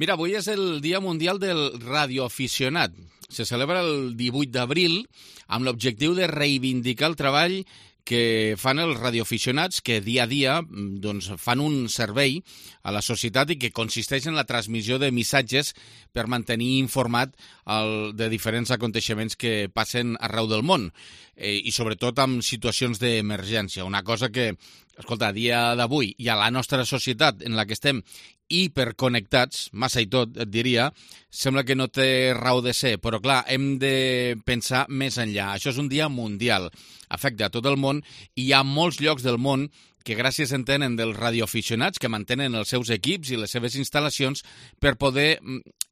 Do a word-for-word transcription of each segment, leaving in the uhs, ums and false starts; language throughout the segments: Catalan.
Mira, avui és el Dia Mundial del Radioaficionat. Se celebra el divuit d'abril amb l'objectiu de reivindicar el treball que fan els radioaficionats que dia a dia doncs, fan un servei a la societat i que consisteix en la transmissió de missatges per mantenir informat el, de diferents aconteixements que passen arreu del món eh, i sobretot amb situacions d'emergència. Una cosa que, escolta, a dia d'avui i a la nostra societat en la que estem hiperconnectats, massa i tot, et diria, sembla que no té raó de ser, però clar, hem de pensar més enllà. Això és un dia mundial, afecta a tot el món i hi ha molts llocs del món que gràcies en tenen dels radioaficionats que mantenen els seus equips i les seves instal·lacions per poder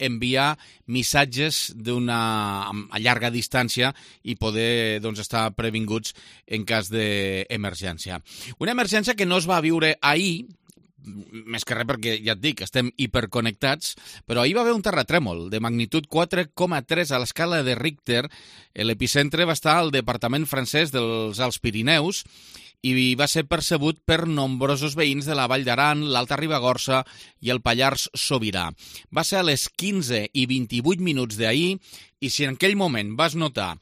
enviar missatges d'una a llarga distància i poder doncs, estar previnguts en cas d'emergència. Una emergència que no es va viure ahir, més que res perquè, ja et dic, estem hiperconnectats, però ahir va haver un terratrèmol de magnitud quatre coma tres a l'escala de Richter. L'epicentre va estar al departament francès dels Alts Pirineus i va ser percebut per nombrosos veïns de la Vall d'Aran, l'Alta Ribagorça i el Pallars Sobirà. Va ser a les quinze i vint-i-vuit minuts d'ahir i si en aquell moment vas notar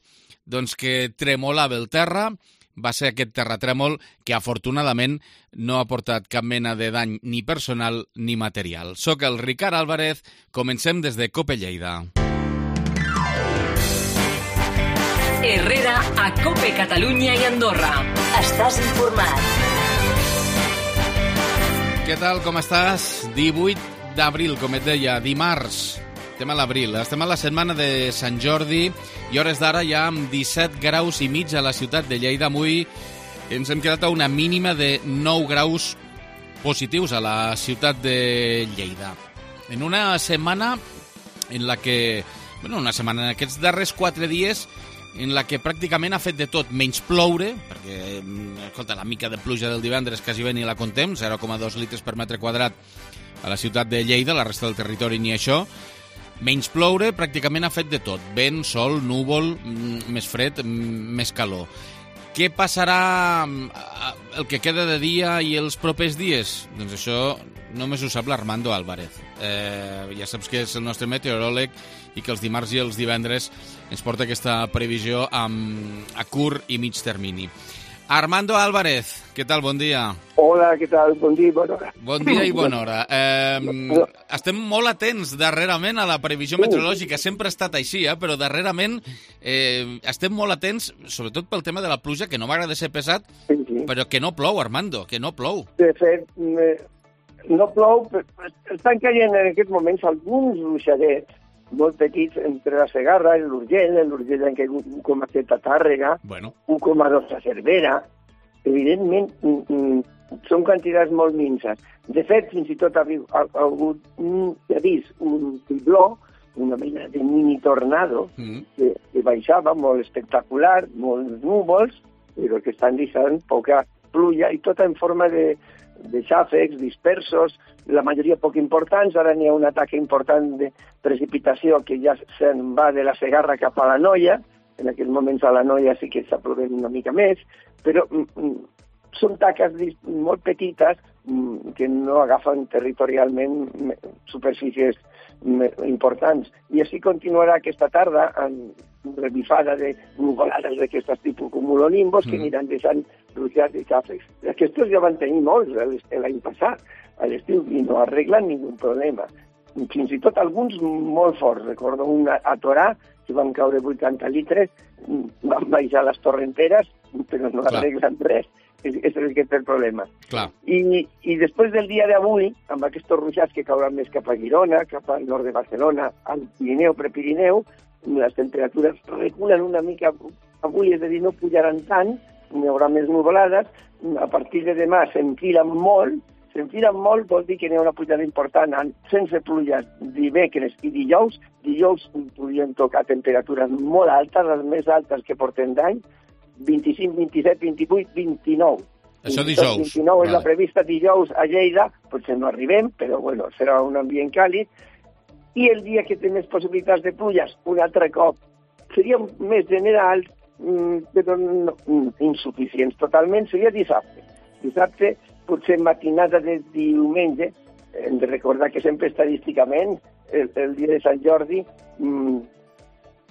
doncs, que tremolava el terra, va ser aquest terratrèmol que afortunadament no ha portat cap mena de dany ni personal ni material. Soc el Ricard Álvarez, comencem des de COPE Lleida. Herrera a COPE Catalunya i Andorra. Estàs informat. Què tal, com estàs? divuit d'abril, com et deia, dimarts. Estem a l'abril, estem a la setmana de Sant Jordi i hores d'ara ja amb disset graus i mig a la ciutat de Lleida. Avui ens hem quedat a una mínima de nou graus positius a la ciutat de Lleida. En una setmana en la que, bueno, una setmana, en aquests darrers quatre dies, en la que pràcticament ha fet de tot, menys ploure, perquè, escolta, la mica de pluja del divendres quasi bé ni la contem, zero coma dos litres per metre quadrat a la ciutat de Lleida, la resta del territori ni això. Menys ploure, pràcticament ha fet de tot. Vent, sol, núvol, més fred, més calor. Què passarà el que queda de dia i els propers dies? Doncs això només ho sap l'Armando Álvarez. Eh, ja saps que és el nostre meteoròleg i que els dimarts i els divendres ens porta aquesta previsió amb, a curt i mig termini. Armando Álvarez, què tal? Bon dia. Hola, què tal? Bon dia i bona hora. Bon dia i bona hora. Eh, estem molt atents darrerament a la previsió meteorològica. Sempre ha estat així, eh? Però darrerament eh, estem molt atents, sobretot pel tema de la pluja, que no m'agrada ser pesat, sí, sí. Però que no plou, Armando, que no plou. De fet, no plou, estan caient en aquests moments alguns ruixadets molt petits entre la Segarra i l'Urgell. L'Urgell han caigut un coma set a Tàrrega, bueno. un coma dos a Cervera. Evidentment, són quantitats molt minces. De fet, fins i tot ha, ha, ha hagut un, ja vist, un fibló, una mena de mini tornado, mm. que, que baixava molt espectacular, molts núvols, però que estan deixant poca pluja i tota en forma de, de xàfecs dispersos, la majoria poc importants. Ara n'hi ha un atac important de precipitació que ja se'n va de la Segarra cap a la Noia. En aquests moments a la Noia sí que està plovent una mica més, però mm, són taques molt petites mm, que no agafen territorialment superfícies importants. I així continuarà aquesta tarda amb revifada de nuvolades d'aquestes tipus cumulonimbus que mm. aniran deixant ruixats i xàfecs. Aquests ja van tenir molts l'any passat, a l'estiu, i no arreglen ningú problema. Fins i tot alguns molt forts. Recordo un a Torà, que van caure vuitanta litres, van baixar les torrenteres, però no Clar. arreglen res. És, és aquest el problema. Clar. I, I després del dia d'avui, amb aquests ruixats que cauran més cap a Girona, cap al nord de Barcelona, al Pirineu, Prepirineu, les temperatures reculen una mica avui, és a dir, no pujaran tant, n'hi haurà més nuvolades, a partir de demà s'enfilen molt, s'enfilen molt vol dir que n'hi ha una pujada important sense pluja dimecres i dijous. Dijous podríem tocar temperatures molt altes, les més altes que portem d'any, vint-i-cinc, vint-i-set, vint-i-vuit, vint-i-nou. Això dijous. vint-i-nou és vale. La prevista dijous a Lleida, potser no arribem, però bueno, serà un ambient càlid. I el dia que té més possibilitats de pluges, un altre cop, seria més general, però no, insuficients totalment, seria dissabte. Dissabte, potser matinada de diumenge, hem de recordar que sempre estadísticament el, el dia de Sant Jordi mmm,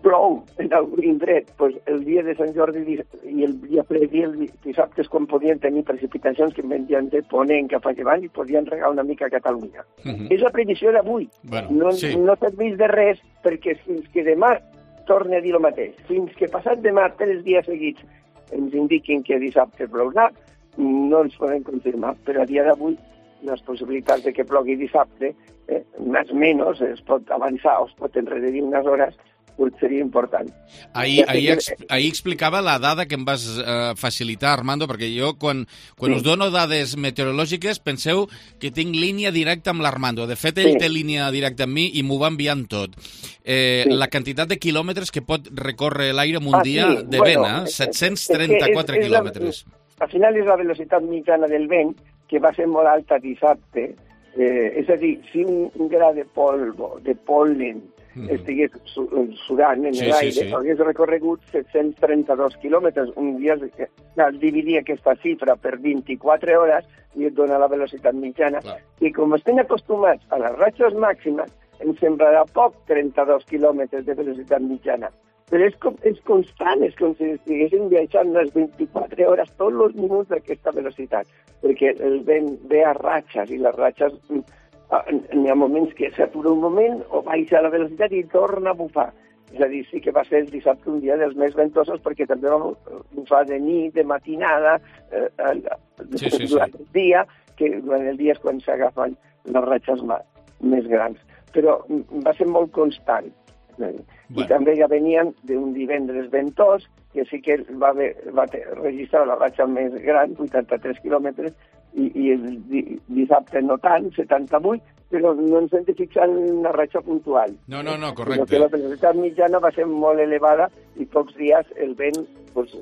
plou en algun indret, pues el dia de Sant Jordi i el dia previ, el dissabte, és quan podien tenir precipitacions que venien de ponent cap a llevant i podien regar una mica a Catalunya. Uh-huh. És la previsió d'avui. Bueno, no sí. no serveix de res, perquè fins que demà torni a dir el mateix, fins que passat demà tres dies seguits ens indiquin que dissabte plourà, no ens podem confirmar, però a dia d'avui les possibilitats de que plogui dissabte, eh, més o menys, es pot avançar o es pot enredir unes hores, seria important. Ahir, ahir, ahir explicava la dada que em vas eh, facilitar, Armando, perquè jo, quan, quan sí. us dono dades meteorològiques, penseu que tinc línia directa amb l'Armando. De fet, ell sí. té línia directa amb mi i m'ho va enviant tot. Eh, sí. La quantitat de quilòmetres que pot recórrer l'aire en un ah, dia sí. de vent, bueno, eh? set-cents trenta-quatre és, és, és quilòmetres. La, al final és la velocitat mitjana del vent, que va ser molt alta dissabte. Eh, és a dir, si un, un gra de polvo, de pol·len, mm. estigués sudant en sí, l'aire, sí, sí. hagués recorregut set-cents trenta-dos quilòmetres. Un dia es dividia aquesta xifra per vint-i-quatre hores i et dona la velocitat mitjana. Clar. I com estem acostumats a les ratxes màximes, ens semblarà poc trenta-dos quilòmetres de velocitat mitjana. Però és, com, és constant, és com si estiguéssim viatjant les vint-i-quatre hores, tots els minuts d'aquesta velocitat, perquè el vent ve a ratxes i les ratxes n'hi ha moments que s'atura un moment o baixa la velocitat i torna a bufar. És a dir, sí que va ser el dissabte un dia dels més ventosos perquè també va bufar de nit, de matinada, eh, sí, sí, durant sí. el dia, que durant el dia és quan s'agafen les ratxes més grans. Però va ser molt constant. Bueno. I també ja venien d'un divendres ventós, que sí que va, haver, va registrar la ratxa més gran, vuitanta-tres quilòmetres, i, i el dissabte no tant, setanta-vuit, però no ens hem de fixar en una ratxa puntual. No, no, no, correcte. Perquè la velocitat mitjana va ser molt elevada i pocs dies el vent pues,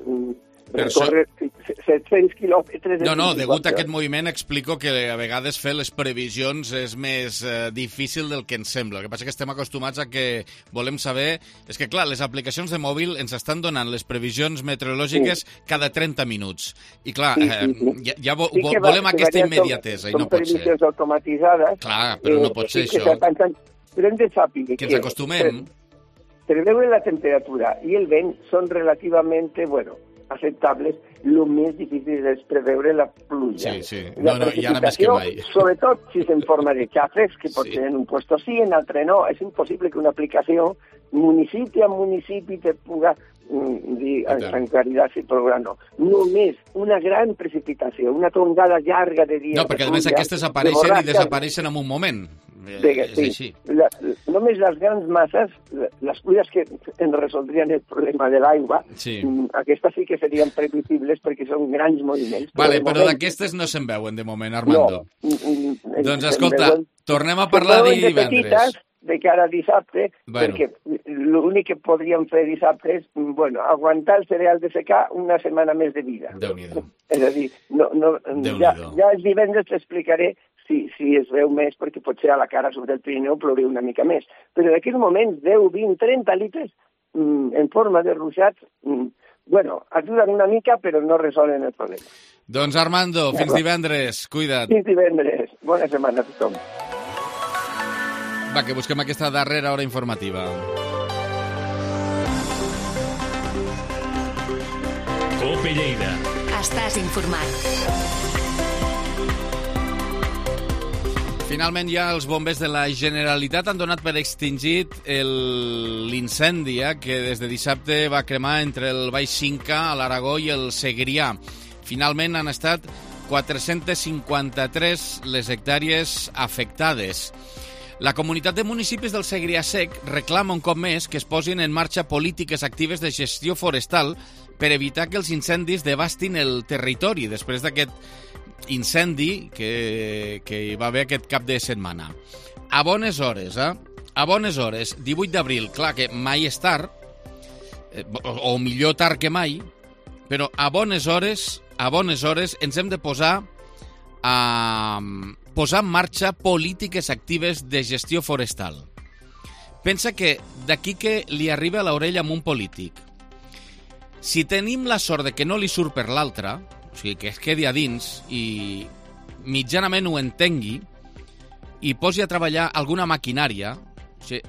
recorre set-cents quilòmetres... No, no, degut a aquest moviment explico que a vegades fer les previsions és més eh, difícil del que ens sembla. El que passa és que estem acostumats a que volem saber... És que, clar, les aplicacions de mòbil ens estan donant les previsions meteorològiques sí. cada trenta minuts. I, clar, sí, sí, sí. Eh, ja, ja vo, sí vo, volem va, aquesta immediatesa i no pot ser. Són previsions automatitzades. Clar, però no pot ser eh, això. Però hem de saber que ens acostumem. Preveure la temperatura i el vent són relativament, bueno, acceptables. El més difícil és preveure la pluja. Sí, sí. No, no, i ara més que mai. Sobretot si és en forma de xàfecs, que pot sí. ser en un puesto sí, en altre no. És impossible que una aplicació municipi a municipi te puga mm, dir en claritat si plourà no. Només una gran precipitació, una tongada llarga de dies... No, perquè a més aquestes apareixen i desapareixen en un moment. De, és sí. així. La, només les grans masses, les pluies que en resoldrien el problema de l'aigua, sí. aquestes sí que serien previsibles perquè són grans moviments. Vale, però, però d'aquestes no se'n veuen de moment, Armando. No. Doncs escolta, veuen, tornem a parlar de divendres. Petites, de cara a dissabte, bueno. perquè l'únic que podríem fer dissabte és bueno, aguantar el cereal de secà una setmana més de vida. Déu-n'hi-do. És a dir, no, no, ja, ja el divendres t'explicaré si, si es veu més, perquè potser a la cara sobre el Pirineu plouria una mica més. Però en aquells moments, deu, vint, trenta litres mm, en forma de ruixats, mm, bueno, ajuden una mica, però no resolen el problema. Doncs Armando, fins divendres, cuida't. Fins divendres, bona setmana a tothom. Va, que busquem aquesta darrera hora informativa. Cope Lleida. Estàs informat. Finalment ja els bombers de la Generalitat han donat per extingit l'incendi que des de dissabte va cremar entre el Baix Cinca, l'Aragó i el Segrià. Finalment han estat quatre-centes cinquanta-tres les hectàrees afectades. La comunitat de municipis del Segrià Sec reclama un cop més que es posin en marxa polítiques actives de gestió forestal per evitar que els incendis devastin el territori després d'aquest incendi que, que hi va haver aquest cap de setmana. A bones hores, eh? A bones hores, divuit d'abril, clar que mai és tard, o millor tard que mai, però a bones hores, a bones hores ens hem de posar a posar en marxa polítiques actives de gestió forestal. Pensa que d'aquí que li arriba a l'orella amb un polític, si tenim la sort de que no li surt per l'altre, o sigui, que es quedi a dins i mitjanament ho entengui i posi a treballar alguna maquinària, Sí.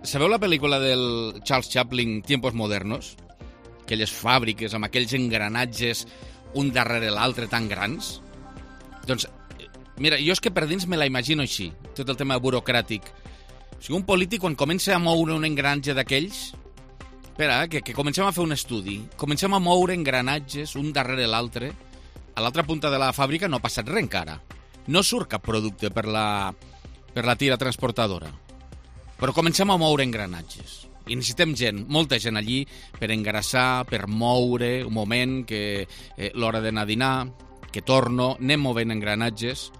Sabeu la pel·lícula del Charles Chaplin, Tiempos Modernos? Aquelles fàbriques amb aquells engranatges un darrere l'altre tan grans? Doncs, mira, jo és que per dins me la imagino així, tot el tema burocràtic. O sigui, un polític, quan comença a moure un engranatge d'aquells... Espera, eh, que, que comencem a fer un estudi. Comencem a moure engranatges un darrere l'altre. A l'altra punta de la fàbrica no ha passat res encara. No surt cap producte per la, per la tira transportadora. Però comencem a moure engranatges. I necessitem gent, molta gent allí, per engrassar, per moure, un moment, que eh, l'hora d'anar a dinar, que torno, anem movent engranatges.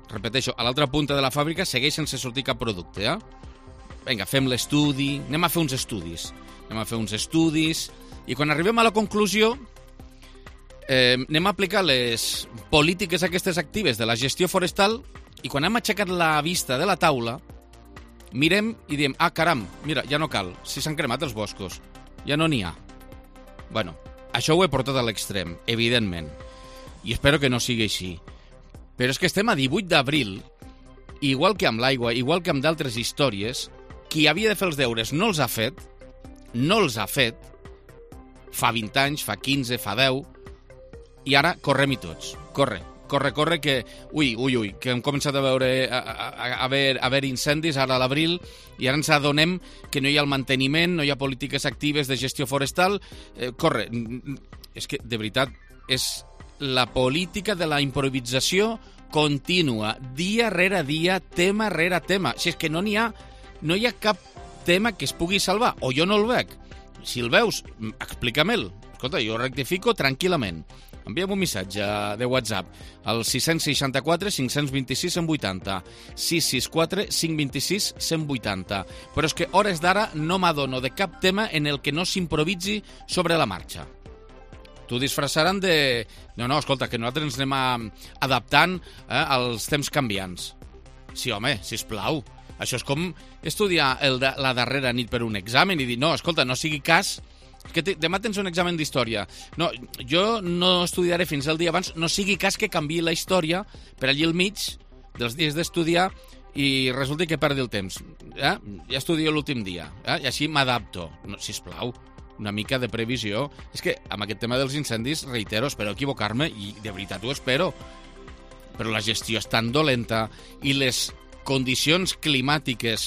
Repeteixo, a l'altra punta de la fàbrica segueix sense sortir cap producte, eh? Vinga, fem l'estudi, anem a fer uns estudis. Anem a fer uns estudis, i quan arribem a la conclusió, eh, anem a aplicar les polítiques aquestes actives de la gestió forestal, i quan hem aixecat la vista de la taula, mirem i diem, ah, caram, mira, ja no cal, si s'han cremat els boscos, ja no n'hi ha. Bueno, això ho he portat a l'extrem, evidentment, i espero que no sigui així. Però és que estem a divuit d'abril, igual que amb l'aigua, igual que amb d'altres històries, qui havia de fer els deures no els ha fet, no els ha fet, fa vint anys, fa quinze, fa deu, i ara correm-hi tots. Corre, corre, corre, que... Ui, ui, ui, que hem començat a veure a, a, a, a haver, a haver incendis ara a l'abril, i ara ens adonem que no hi ha el manteniment, no hi ha polítiques actives de gestió forestal. Eh, corre, és que, de veritat, és la política de la improvisació contínua, dia rere dia, tema rere tema. Si és que no n'hi ha, no hi ha cap tema que es pugui salvar, o jo no el veig. Si el veus, explica-me'l. Escolta, jo rectifico tranquil·lament. Envia'm un missatge de WhatsApp al sis sis quatre, cinc dos sis, cent vuitanta, sis sis quatre, cinc dos sis, cent vuitanta. Però és que hores d'ara no m'adono de cap tema en el que no s'improvisi sobre la marxa. T'ho disfressaran de... No, no, escolta, que nosaltres ens anem adaptant eh, als temps canviants. Sí, home, sisplau. Això és com estudiar el de, la darrera nit per un examen i dir, no, escolta, no sigui cas, que te, demà tens un examen d'història. No, jo no estudiaré fins al dia abans, no sigui cas que canviï la història per allí al mig dels dies d'estudiar i resulti que perdi el temps. Eh? Ja estudio l'últim dia, eh? I així m'adapto. No, sisplau, una mica de previsió. És que amb aquest tema dels incendis, reitero, espero equivocar-me i de veritat ho espero. Però la gestió és tan dolenta i les condicions climàtiques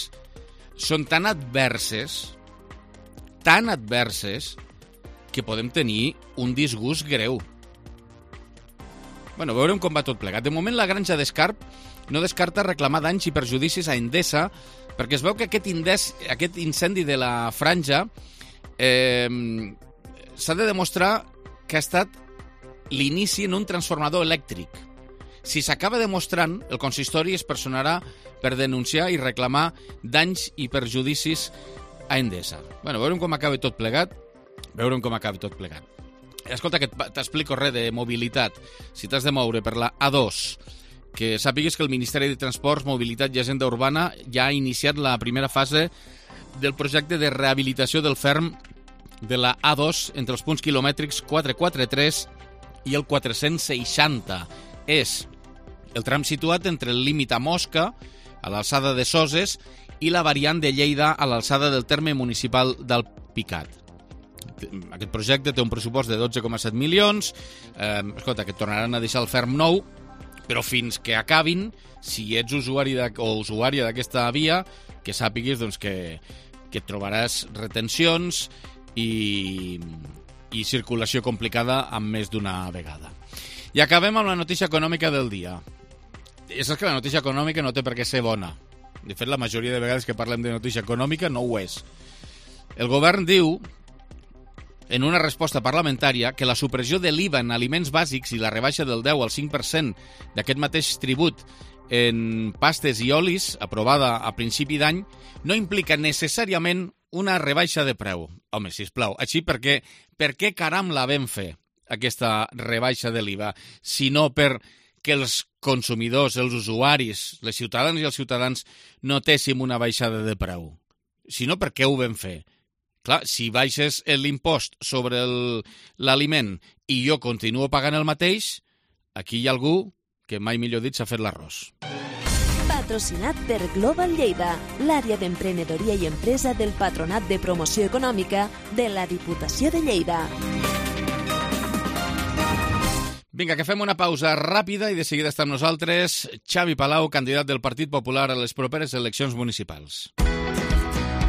són tan adverses, tan adverses, que podem tenir un disgust greu. Bueno, veurem com va tot plegat. De moment, la granja d'Escarp no descarta reclamar danys i perjudicis a Endesa, perquè es veu que aquest, indes, aquest incendi de la franja eh, s'ha de demostrar que ha estat l'inici en un transformador elèctric. Si s'acaba demostrant, el consistori es personarà per denunciar i reclamar danys i perjudicis a Endesa. Bueno, veurem com acaba tot plegat. Veurem com acaba tot plegat. Escolta, que t'explico res de mobilitat. Si t'has de moure per la A dos, que sàpigues que el Ministeri de Transports, Mobilitat i Agenda Urbana ja ha iniciat la primera fase del projecte de rehabilitació del ferm de la A dos entre els punts quilomètrics quatre cents i quaranta-tres i el quatre-cents seixanta. És el tram situat entre el límit a Mosca, a l'alçada de Soses, i la variant de Lleida a l'alçada del terme municipal del Picat. Aquest projecte té un pressupost de dotze coma set milions. Eh, escolta, que tornaran a deixar el ferm nou, però fins que acabin, si ets usuari de, o usuària d'aquesta via, que sàpiguis doncs, que, que trobaràs retencions i, i circulació complicada amb més d'una vegada. I acabem amb la notícia econòmica del dia. I saps que la notícia econòmica no té per què ser bona. De fet, la majoria de vegades que parlem de notícia econòmica no ho és. El govern diu, en una resposta parlamentària, que la supressió de l'I V A en aliments bàsics i la rebaixa del deu al cinc per cent d'aquest mateix tribut en pastes i olis, aprovada a principi d'any, no implica necessàriament una rebaixa de preu. Home, sisplau, així per què, per què caram la vam fer, aquesta rebaixa de l'I V A, sinó per que els consumidors, els usuaris, les ciutadanes i els ciutadans notéssim una baixada de preu. Si no, per què ho vam fer? Clar, si baixes l'impost sobre l'aliment i jo continuo pagant el mateix, aquí hi ha algú que mai millor dit s'ha fet l'arròs. patrocinat per Global Lleida, l'àrea d'emprenedoria i empresa del Patronat de Promoció Econòmica de la Diputació de Lleida. Vinga, que fem una pausa ràpida i de seguida està amb nosaltres Xavi Palau, candidat del Partit Popular a les properes eleccions municipals.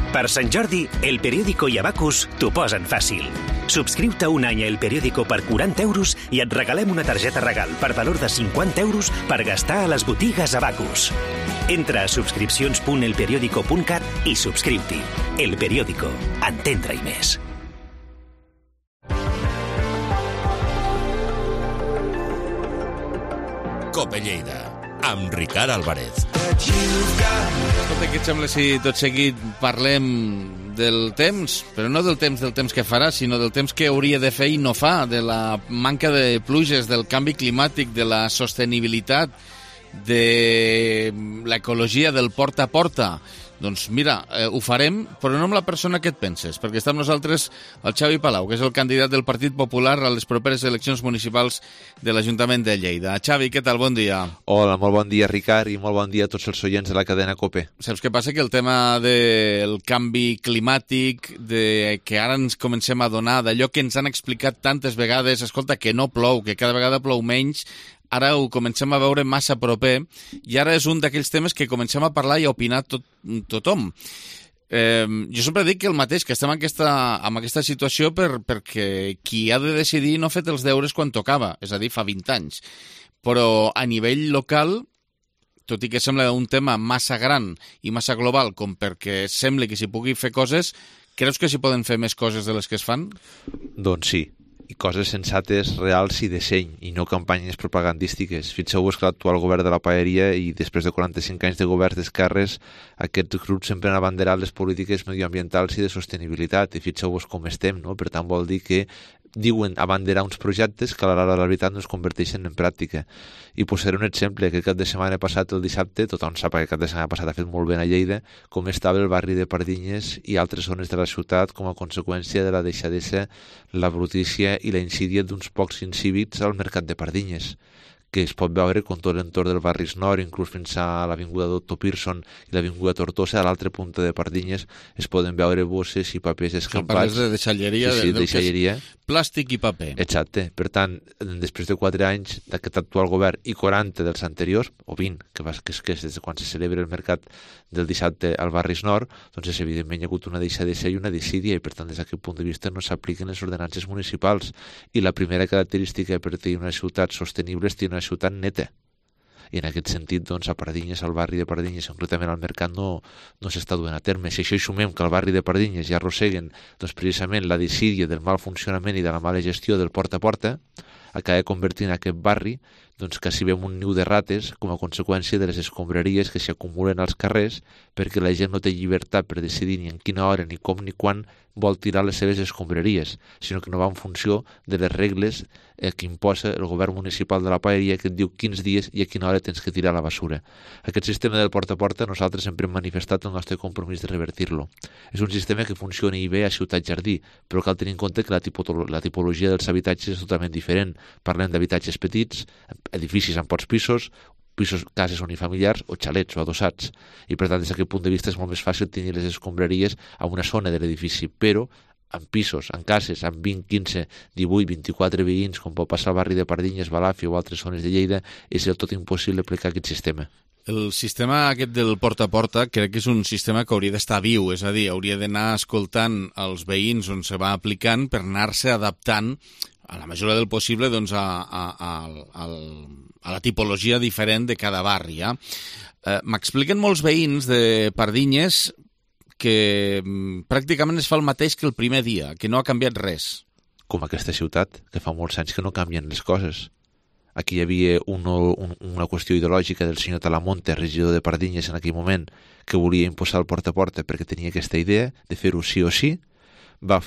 Per Sant Jordi, El Periódico i Abacus t'ho posen fàcil. Subscriu-te un any a El Periódico per quaranta euros i et regalem una targeta regal per valor de cinquanta euros per gastar a les botigues Abacus. Entra a subscripcions punt el periódico punt cat i subscriu-t'hi. El Periódico. Entendre-hi més. Cope Lleida, amb Ricard Álvarez. Escolta, què et sembla si tot seguit parlem del temps, però no del temps del temps que farà, sinó del temps que hauria de fer i no fa, de la manca de pluges, del canvi climàtic, de la sostenibilitat, de l'ecologia del porta a porta. Doncs mira, eh, ho farem, però no amb la persona que et penses, perquè està amb nosaltres el Xavi Palau, que és el candidat del Partit Popular a les properes eleccions municipals de l'Ajuntament de Lleida. Xavi, què tal? Bon dia. Hola, molt bon dia, Ricard, i molt bon dia a tots els oients de la cadena COPE. Saps què passa? Que el tema del canvi climàtic, de que ara ens comencem a donar d'allò que ens han explicat tantes vegades, escolta, que no plou, que cada vegada plou menys, ara ho comencem a veure massa proper i ara és un d'aquells temes que comencem a parlar i a opinar tot, tothom. Eh, jo sempre dic que el mateix, que estem en aquesta, en aquesta situació per, perquè qui ha de decidir no ha fet els deures quan tocava, és a dir, fa vint anys. Però a nivell local, tot i que sembla un tema massa gran i massa global com perquè sembli que s'hi pugui fer coses, creus que s'hi poden fer més coses de les que es fan? Doncs sí. I coses sensates, reals i de seny, i no campanyes propagandístiques. Fixeu-vos que l'actual govern de la paeria i després de quaranta-cinc anys de governs d'esquerres, aquests grups sempre han abanderat les polítiques medioambientals i de sostenibilitat, i fixeu-vos com estem, no? Per tant, vol dir que diuen abanderar uns projectes que a l'hora de la veritat no es converteixen en pràctica. I posaré un exemple, que cap de setmana passat, el dissabte, tothom sap que cap de setmana passat ha fet molt bé a Lleida, com estava el barri de Pardinyes i altres zones de la ciutat com a conseqüència de la deixadesa, la brutícia i la insídia d'uns pocs incívics al mercat de Pardinyes, que es pot veure com tot l'entorn del Barris Nord, inclús fins a l'avinguda Doctor Pearson i l'avinguda Tortosa, a l'altra punta de Pardinyes es poden veure bosses i papers escampats. Parles de deixalleria, sí, sí, de deixalleria. Plàstic i paper. Exacte. Per tant, després de quatre anys d'aquest actual govern i quaranta dels anteriors, o vint, que, va, que, és, que és des de quan se celebra el mercat del dissabte al Barris Nord, doncs és, evidentment hi ha hagut una deixadesa i una desídia i per tant des d'aquest punt de vista no s'apliquen les ordenances municipals. I la primera característica per tenir una ciutat sostenible és tenir una ciutat neta. I en aquest sentit, doncs, a Pardinyes, al barri de Pardinyes, concretament al mercat, no, no s'està duent a terme. Si això hi sumem que al barri de Pardinyes ja arrosseguen doncs, precisament la desídia del mal funcionament i de la mala gestió del porta a porta, acaba convertint aquest barri doncs, quasi veiem un niu de rates com a conseqüència de les escombraries que s'acumulen als carrers perquè la gent no té llibertat per decidir ni en quina hora, ni com, ni quan vol tirar les seves escombraries, sinó que no va en funció de les regles eh, que imposa el govern municipal de la paeria, que et diu quins dies i a quina hora tens que tirar la basura. Aquest sistema del porta a porta nosaltres sempre hem manifestat el nostre compromís de revertir-lo. És un sistema que funciona bé a Ciutat Jardí, però cal tenir en compte que la, tipolo la tipologia dels habitatges és totalment diferent. Parlem d'habitatges petits, edificis amb pocs pisos, pisos, cases unifamiliars o xalets o adossats. I per tant, des d'aquest punt de vista és molt més fàcil tenir les escombraries a una zona de l'edifici, però en pisos, en cases, amb vint, quinze, divuit, vint-i-quatre veïns, com pot passar al barri de Pardinyes, Balàfia o altres zones de Lleida, és del tot impossible aplicar aquest sistema. El sistema aquest del porta a porta crec que és un sistema que hauria d'estar viu, és a dir, hauria d'anar escoltant els veïns on se va aplicant per anar-se adaptant a la mesura del possible doncs, a, a, a, a, a la tipologia diferent de cada barri. Eh? Eh, M'expliquen molts veïns de Pardinyes que mm, pràcticament es fa el mateix que el primer dia, que no ha canviat res. Com aquesta ciutat, que fa molts anys que no canvien les coses. Aquí hi havia un, un, una qüestió ideològica del senyor Talamonte, regidor de Pardinyes en aquell moment, que volia imposar el porta a porta perquè tenia aquesta idea de fer-ho sí o sí. Va,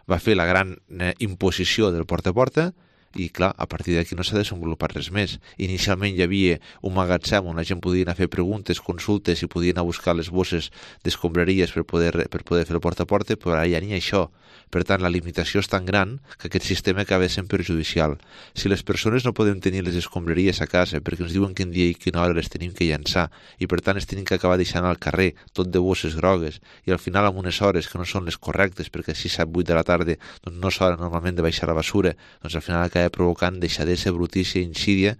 va fer la gran eh, imposició del porta a porta, i clar, a partir d'aquí no s'ha desenvolupat res més. Inicialment hi havia un magatzem on la gent podia anar a fer preguntes, consultes i podia anar a buscar les bosses d'escombraries per poder, per poder fer el porta a porta, però ara ja ni això. Per tant, la limitació és tan gran que aquest sistema acaba sent perjudicial. Si les persones no podem tenir les escombraries a casa perquè ens diuen quin dia i quina hora les tenim que llançar i per tant es tenim que acabar deixant al carrer tot de bosses grogues i al final amb unes hores que no són les correctes perquè si set vuit de la tarda doncs no s'hora normalment de baixar la basura, doncs al final acaba provocant deixadesa, brutícia, insídia,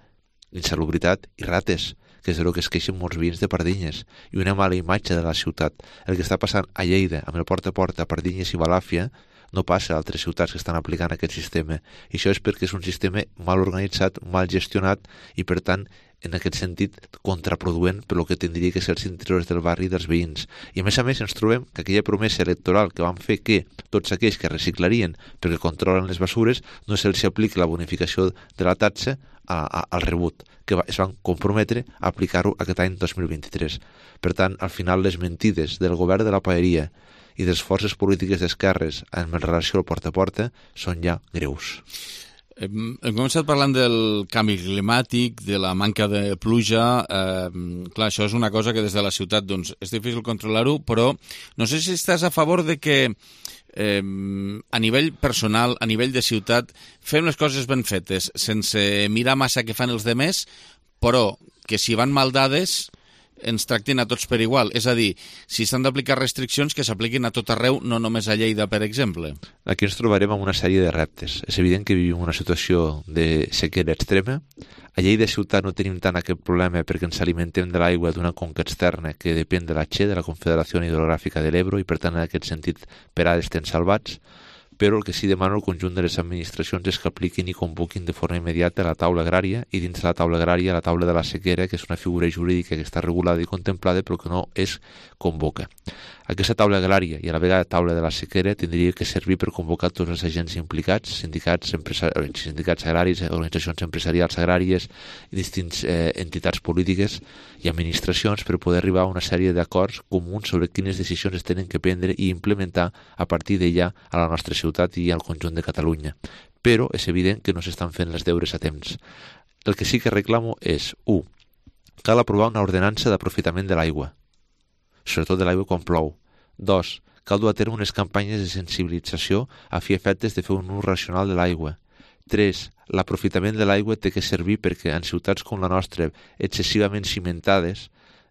insalubritat i rates, que és el que es queixen molts veïns de Pardinyes, i una mala imatge de la ciutat. El que està passant a Lleida, amb el porta a porta a Pardinyes i Balàfia, no passa a altres ciutats que estan aplicant aquest sistema. I això és perquè és un sistema mal organitzat, mal gestionat i, per tant, en aquest sentit, contraproduent per el que tindria que ser els interessos del barri i dels veïns. I a més a més ens trobem que aquella promesa electoral que van fer que tots aquells que reciclarien perquè controlen les basures no se'ls apliqui la bonificació de la taxa a, a, al rebut, que va, es van comprometre a aplicar-ho aquest any dos mil vint-i-tres. Per tant, al final, les mentides del govern de la paeria i de les forces polítiques d'esquerres en relació al porta a porta són ja greus. Hem començat parlant del canvi climàtic, de la manca de pluja. Eh, clar, això és una cosa que des de la ciutat doncs, és difícil controlar-ho, però no sé si estàs a favor de que eh, a nivell personal, a nivell de ciutat, fem les coses ben fetes, sense mirar massa què fan els demés, però que si van mal dades ens tractin a tots per igual. És a dir, si s'han d'aplicar restriccions, que s'apliquin a tot arreu, no només a Lleida, per exemple. Aquí ens trobarem amb una sèrie de reptes. És evident que vivim una situació de sequera extrema. A Lleida ciutat no tenim tant aquest problema perquè ens alimentem de l'aigua d'una conca externa que depèn de la Che, de la Confederació Hidrogràfica de l'Ebro, i per tant en aquest sentit per ara estem salvats. Però el que sí demano al conjunt de les administracions és que apliquin i convoquin de forma immediata la taula agrària i dins de la taula agrària la taula de la sequera, que és una figura jurídica que està regulada i contemplada però que no es convoca. Aquesta taula agrària i a la vegada taula de la sequera tindria que servir per convocar tots els agents implicats, sindicats, sindicats agraris, organitzacions empresarials agràries, distintes eh, entitats polítiques i administracions per poder arribar a una sèrie d'acords comuns sobre quines decisions es tenen que prendre i implementar a partir d'allà a la nostra ciutat i al conjunt de Catalunya. Però és evident que no s'estan fent els deures a temps. El que sí que reclamo és, u, cal aprovar una ordenança d'aprofitament de l'aigua, sobretot de l'aigua quan plou. Dos, cal dur a terme unes campanyes de sensibilització a fi efectes de fer un ús racional de l'aigua. Tres, l'aprofitament de l'aigua té que servir perquè en ciutats com la nostra, excessivament cimentades,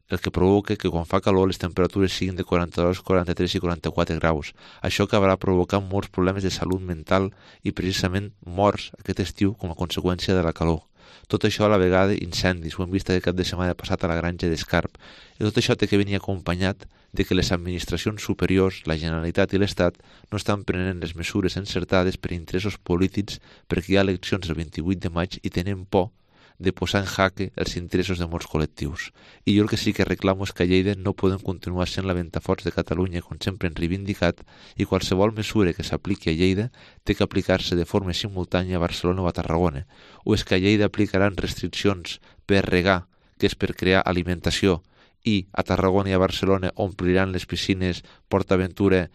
el que provoca que quan fa calor les temperatures siguin de quaranta-dos, quaranta-tres i quaranta-quatre graus. Això acabarà provocant molts problemes de salut mental i precisament morts aquest estiu com a conseqüència de la calor. Tot això a la vegada incendis, ho hem vist aquest cap de setmana passat a la granja d'Escarp. I tot això té que venir acompanyat de que les administracions superiors, la Generalitat i l'Estat, no estan prenent les mesures encertades per interessos polítics perquè hi ha eleccions el vint-i-vuit de maig i tenen por de posar en jaque els interessos de molts col·lectius. I jo el que sí que reclamo és que a Lleida no podem continuar sent la ventaforts de Catalunya, com sempre hem reivindicat, i qualsevol mesura que s'apliqui a Lleida té que aplicar-se de forma simultània a Barcelona o a Tarragona. O és que a Lleida aplicaran restriccions per regar, que és per crear alimentació, i a Tarragona i a Barcelona ompliran les piscines PortAventura,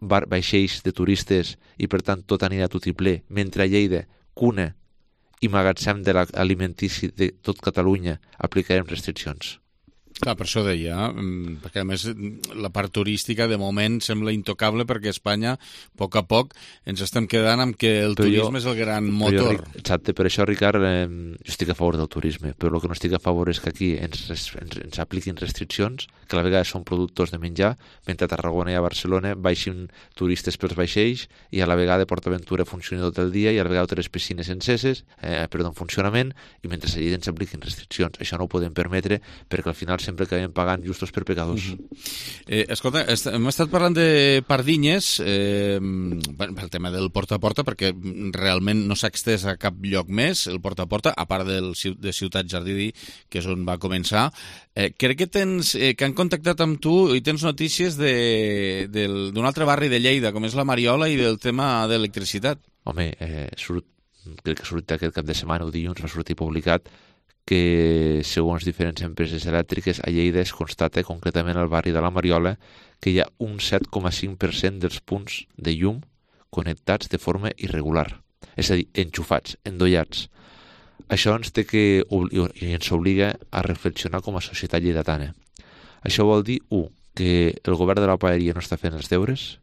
bar, vaixells de turistes, i per tant tot anirà tot i ple, mentre a Lleida, cuna i magatzem de l'alimentici de tot Catalunya aplicarem restriccions. Clar, per això deia, perquè a més la part turística de moment sembla intocable perquè a Espanya, a poc a poc, ens estem quedant amb que el però turisme jo, és el gran motor. Jo, exacte, per això, Ricard, eh, jo estic a favor del turisme, però el que no estic a favor és que aquí ens, ens, ens apliquin restriccions, que a la vegada són productors de menjar, mentre a Tarragona i a Barcelona baixin turistes pels vaixells i a la vegada PortAventura funcioni tot el dia i a la vegada les piscines enceses, eh, perdó, en funcionament, i mentre allà ens apliquin restriccions. Això no ho podem permetre perquè al final sempre acabem pagant justos per pecadors. Uh-huh. eh, escolta, est hem estat parlant de Pardinyes eh, pel tema del porta a porta perquè realment no s'ha extès a cap lloc més el porta a porta, a part del, de Ciutat Jardí, que és on va començar. Eh, crec que tens eh, que han contactat amb tu i tens notícies d'un altre barri de Lleida, com és la Mariola, i del tema d'electricitat. Home, eh, surt, crec que surt aquest cap de setmana o dilluns va sortir publicat que, segons diferents empreses elèctriques, a Lleida es constata, concretament al barri de la Mariola, que hi ha un set coma cinc per cent dels punts de llum connectats de forma irregular. és a dir, enxufats, endollats. Això ens té que, i ens obliga a reflexionar com a societat lleidatana. Això vol dir, u, que el govern de la paeria no està fent els deures.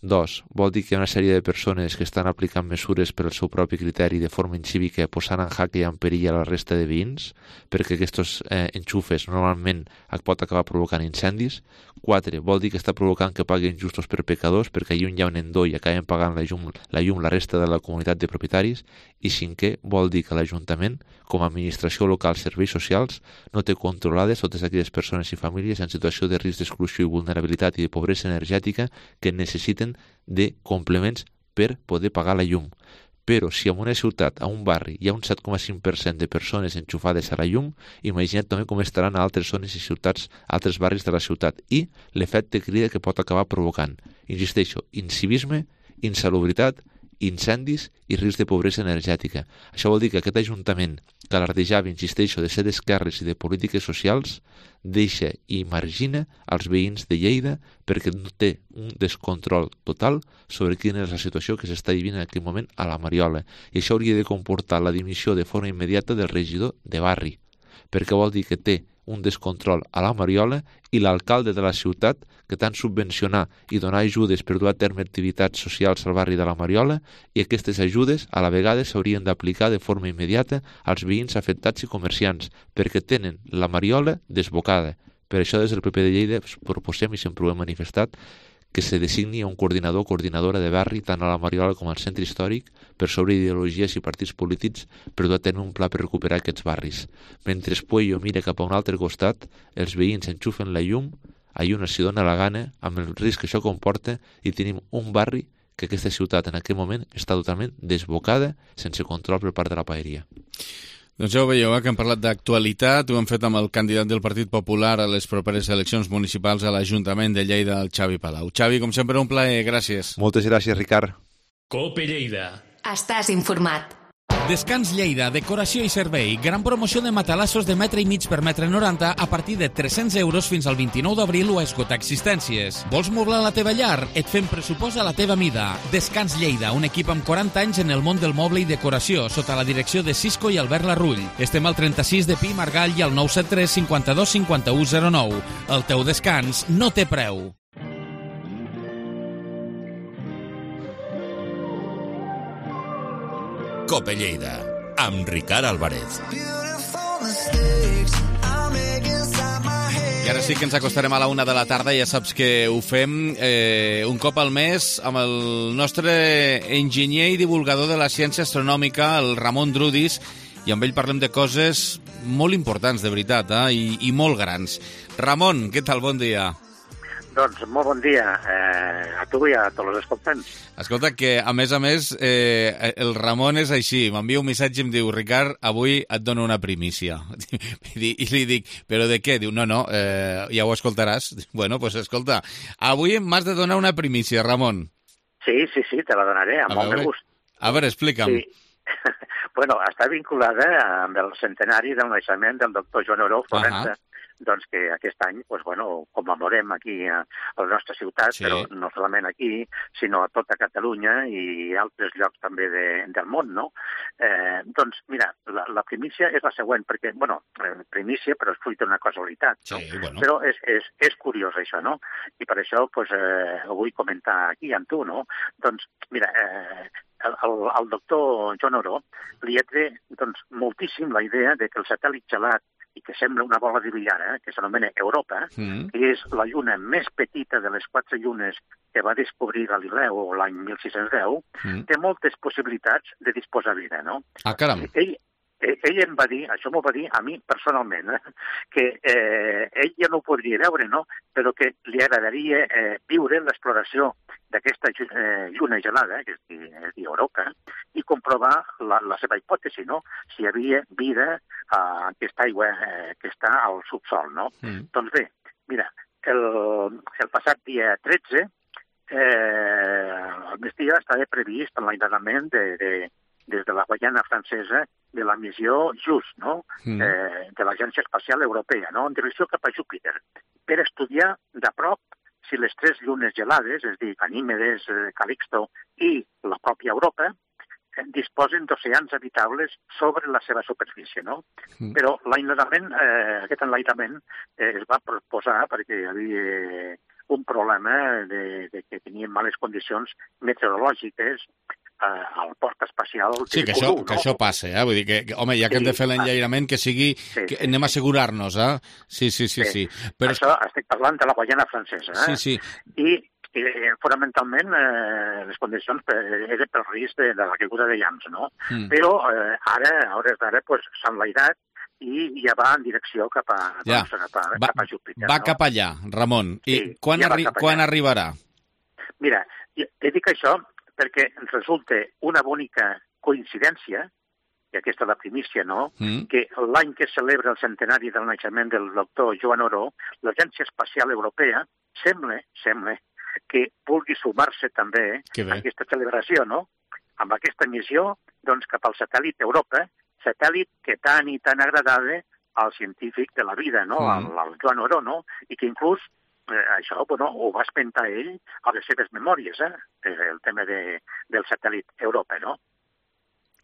Dos, vol dir que hi ha una sèrie de persones que estan aplicant mesures per al seu propi criteri de forma incívica, posant en jaque i en perill a la resta de veïns, perquè aquests eh, enxufes normalment pot acabar provocant incendis. Quatre, vol dir que està provocant que paguin justos per pecadors, perquè allà on hi ha un endoll i acaben pagant la llum, la llum la resta de la comunitat de propietaris. I cinquè, vol dir que l'Ajuntament, com a administració local serveis socials, no té controlades totes aquelles persones i famílies en situació de risc d'exclusió i vulnerabilitat i de pobresa energètica que necessiten de complements per poder pagar la llum. Però si en una ciutat, a un barri, hi ha un set coma cinc per cent de persones enxufades a la llum, imagina't també com estaran a altres zones i ciutats, altres barris de la ciutat, i l'efecte crida que pot acabar provocant. Insisteixo, incivisme, insalubritat, incendis i risc de pobresa energètica. Això vol dir que aquest Ajuntament, que alardejava, insisteixo, de ser d'esquerres i de polítiques socials, deixa i margina els veïns de Lleida perquè no té un descontrol total sobre quina és la situació que s'està vivint en aquest moment a la Mariola. I això hauria de comportar la dimissió de forma immediata del regidor de barri, perquè vol dir que té un descontrol a la Mariola i l'alcalde de la ciutat, que tant subvencionar i donar ajudes per dur a terme activitats socials al barri de la Mariola, i aquestes ajudes a la vegada s'haurien d'aplicar de forma immediata als veïns afectats i comerciants, perquè tenen la Mariola desbocada. Per això des del P P de Lleida proposem, i sempre ho hem manifestat, que se designi un coordinador o coordinadora de barri tant a la Mariola com al centre històric per sobre ideologies i partits polítics per dur a tenir un pla per recuperar aquests barris. Mentre Puello mira cap a un altre costat, els veïns enxufen la llum, allà on s'hi dona la gana, amb el risc que això comporta, i tenim un barri que aquesta ciutat en aquest moment està totalment desbocada, sense control per part de la paeria. Doncs ja ho veieu, eh, que hem parlat d'actualitat, ho hem fet amb el candidat del Partit Popular a les properes eleccions municipals a l'Ajuntament de Lleida, el Xavi Palau. Xavi, com sempre, un plaer, gràcies. Moltes gràcies, Ricard. Cope Lleida. Estàs informat. Descans Lleida, decoració i servei. Gran promoció de matalassos de metre i mig per metre noranta a partir de tres-cents euros fins al vint-i-nou d'abril o a esgotar existències. Vols moblar la teva llar? Et fem pressupost a la teva mida. Descans Lleida, un equip amb quaranta anys en el món del moble i decoració, sota la direcció de Cisco i Albert Larrull. Estem al trenta-sis de Pi Margall i al nou set tres cinquanta-dos cinquanta-u zero nou. El teu descans no té preu. Cope Lleida, amb Ricard Álvarez. I ara sí que ens acostarem a la una de la tarda. Ja saps que ho fem eh, un cop al mes amb el nostre enginyer i divulgador de la ciència astronòmica, el Ramon Drudis, i amb ell parlem de coses molt importants, de veritat, eh? I, i molt grans. Ramon, què tal? Bon dia. Doncs molt bon dia eh, a tu i a tots els escoltants. Escolta, que a més a més eh, el Ramon és així, m'envia un missatge i em diu: Ricard, avui et dono una primícia. I li dic: però de què? Diu: no, no, eh, ja ho escoltaràs. Bueno, doncs pues, escolta, avui m'has de donar una primícia, Ramon. Sí, sí, sí, te la donaré, amb molt de gust. A veure, explica'm. Sí. Bueno, està vinculada amb el centenari del naixement del doctor Joan Oró Florença, uh-huh. Doncs que aquest any, doncs, bueno, commemorem aquí a, a la nostra ciutat, sí. Però no solament aquí, sinó a tota Catalunya i altres llocs també de, del món, no? Eh, doncs, mira, la, la primícia és la següent, perquè, bueno, primícia, però és fruit d'una casualitat, no? Sí, bueno. Però és, és, és curiós això, no? I per això, doncs, eh, ho vull comentar aquí amb tu, no? Doncs, mira, eh, el, el, el doctor Joan Oró li ha tret, doncs, moltíssim la idea de que el satèl·lit gelat i que sembla una bola de billar, eh, que s'anomena Europa, mm. que és la lluna més petita de les quatre llunes que va descobrir Galileu l'any mil sis-cents deu, mm. té moltes possibilitats de disposar vida, no? Ah, caram! Ell, ell em va dir, això m'ho va dir a mi personalment, eh, que eh, ell ja no ho podria veure, no? Però que li agradaria eh, viure l'exploració d'aquesta eh, lluna gelada, que és, és dir, Europa, i comprovar la, la seva hipòtesi, no? Si hi havia vida a aquesta aigua eh, que està al subsol, no? Mm. Doncs bé, mira, el, el passat dia tretze, eh, el migdia estava previst l'alliberament de, de, des de la Guaiana francesa de la missió JUICE, no? Mm. Eh, de l'Agència Espacial Europea, no? En direcció cap a Júpiter, per estudiar de prop si les tres llunes gelades, és a dir, Ganímedes, Calixto i la pròpia Europa, disposen d'oceans habitables sobre la seva superfície, no? Mm. Però l'enlairament, eh, aquest enlairament eh, es va proposar perquè hi havia un problema de, de que tenien males condicions meteorològiques al port espacial. Sí, que, això, no? que això passa, eh? Vull dir que, que home, ja que sí, hem de fer l'enllairament, que sigui... Sí, que anem a assegurar-nos, eh? Sí, sí, sí. sí. sí. Però... Això estic parlant de la Guaiana francesa, eh? Sí, sí. I, i fonamentalment, eh, les condicions eren pel risc de, de la caiguda de llamps, no? Mm. Però eh, ara, a hores d'ara, pues, s'ha enlairat i ja va en direcció cap a, ja. doncs, cap a, va, cap a Júpiter. Va no? cap allà, Ramon. I sí, quan, ja arri quan arribarà? Mira, te dic això perquè ens resulta una bonica coincidència, i aquesta és la primícia, no?, mm. que l'any que es celebra el centenari del naixement del doctor Joan Oró, l'Agència Espacial Europea sembla, sembla que vulgui sumar-se també a aquesta celebració, no?, amb aquesta missió, doncs, cap al satèl·lit Europa, satèl·lit que tant i tan agradava al científic de la vida, no?, mm. al, al Joan Oró, no?, i que inclús Eh, això bueno, ho va espentar ell a les seves memòries, eh? el tema de, del satèl·lit Europa, no?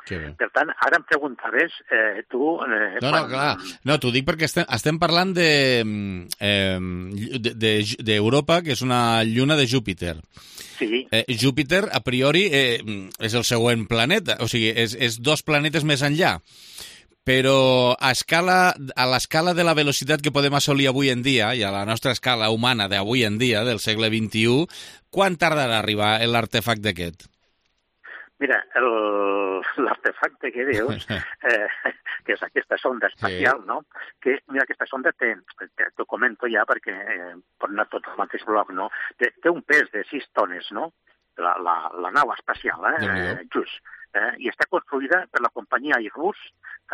Per tant, ara em preguntaves, eh, tu... Eh, no, quan... no, clar. No, t'ho dic perquè estem, estem parlant de, eh, d'Europa, de, que és una lluna de Júpiter. Sí. Eh, Júpiter, a priori, eh, és el següent planeta, o sigui, és, és dos planetes més enllà. Però a escala, a l'escala de la velocitat que podem assolir avui en dia, i a la nostra escala humana d'avui en dia, del segle vint-i-u, quan tardarà a arribar l'artefacte aquest? Mira, l'artefacte que dius, eh, que és aquesta sonda espacial, sí. no? Que, mira, aquesta sonda té, t'ho comento ja perquè eh, pot anar tot al mateix bloc, no? Té, té un pes de sis tones, no? La, la, la nau espacial, eh? eh just. Eh, I està construïda per la companyia Airbus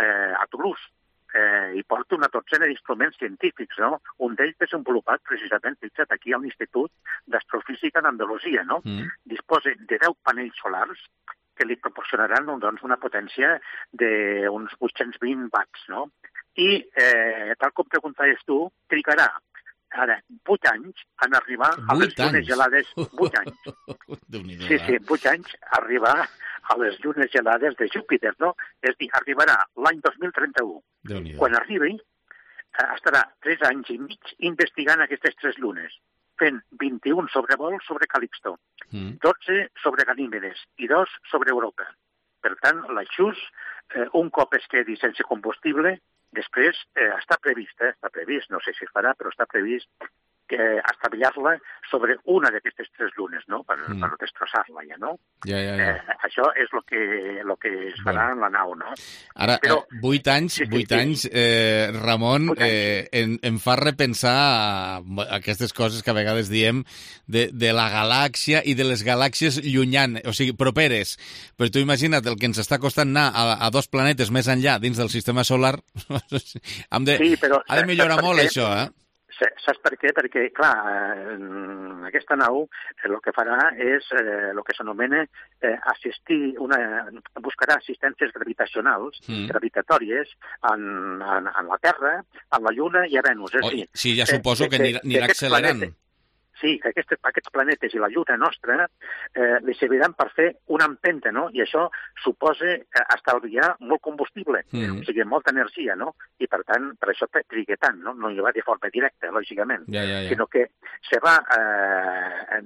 eh, a Toulouse eh, i porta una dotzena d'instruments científics, no? Un d'ells desenvolupat precisament, fixa't, aquí a l'Institut d'Astrofísica d'Andalusia, no? Mm. Disposa de deu panells solars que li proporcionaran doncs, una potència d'uns vuit-cents vint watts, no? I, eh, tal com preguntaves tu, trigarà ara vuit anys en arribar a les llunes gelades. Vuit anys. Sí, sí, vuit anys a arribar a les llunes gelades de Júpiter, no? És a dir, arribarà l'any dos mil trenta-u. Quan arribi, estarà tres anys i mig investigant aquestes tres llunes, fent vint-i-un sobrevols sobre Calixto, mm. dotze sobre Ganímedes i dos sobre Europa. Per tant, l'Aixús, eh, un cop es quedi sense combustible, després eh, està previst, eh, està previst, no sé si es farà, però està previst que estavellar-la sobre una d'aquestes tres llunes, no?, per, mm. per destrossar-la ja, no? Ja, ja, ja. Eh, això és el que, lo que es farà bueno. en la nau, no? Ara, però, eh, vuit anys, sí, sí, vuit sí. anys, eh, Ramon, anys. Eh, em, em fa repensar aquestes coses que a vegades diem de, de la galàxia i de les galàxies llunyanes, o sigui, properes. Però tu imagina't el que ens està costant anar a, a dos planetes més enllà dins del sistema solar. Hem de, sí, però, ha de millorar molt això, eh? Saps per què? Perquè, clar, eh, aquesta nau el que farà és el eh, que s'anomena eh, assistir, una, buscarà assistències gravitacionals, mm. gravitatòries, en, en, en la Terra, en la Lluna i a Venus. És Oi, dir, sí, ja suposo que, que anirà, anirà accelerant. Planetes, sí, que aquests, aquests planetes i la Lluna nostra eh, li serviran per fer una empenta, no? I això suposa eh, estalviar molt combustible, mm. o sigui, molta energia, no? I, per tant, per això triga tant, no? No hi va de forma directa, lògicament, ja, ja, ja. sinó que se va, eh,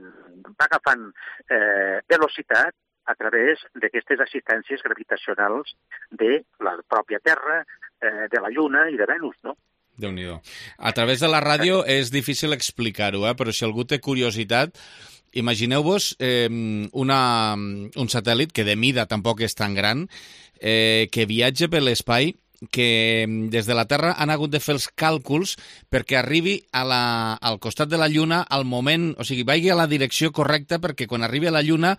va agafant eh, velocitat a través d'aquestes assistències gravitacionals de la pròpia Terra, eh, de la Lluna i de Venus, no? Déu-n'hi-do. A través de la ràdio és difícil explicar-ho, eh? Però si algú té curiositat, imagineu-vos eh, una, un satèl·lit que de mida tampoc és tan gran, eh, que viatja per l'espai, que des de la Terra han hagut de fer els càlculs perquè arribi a la, al costat de la Lluna al moment, o sigui, vagi a la direcció correcta perquè quan arribi a la Lluna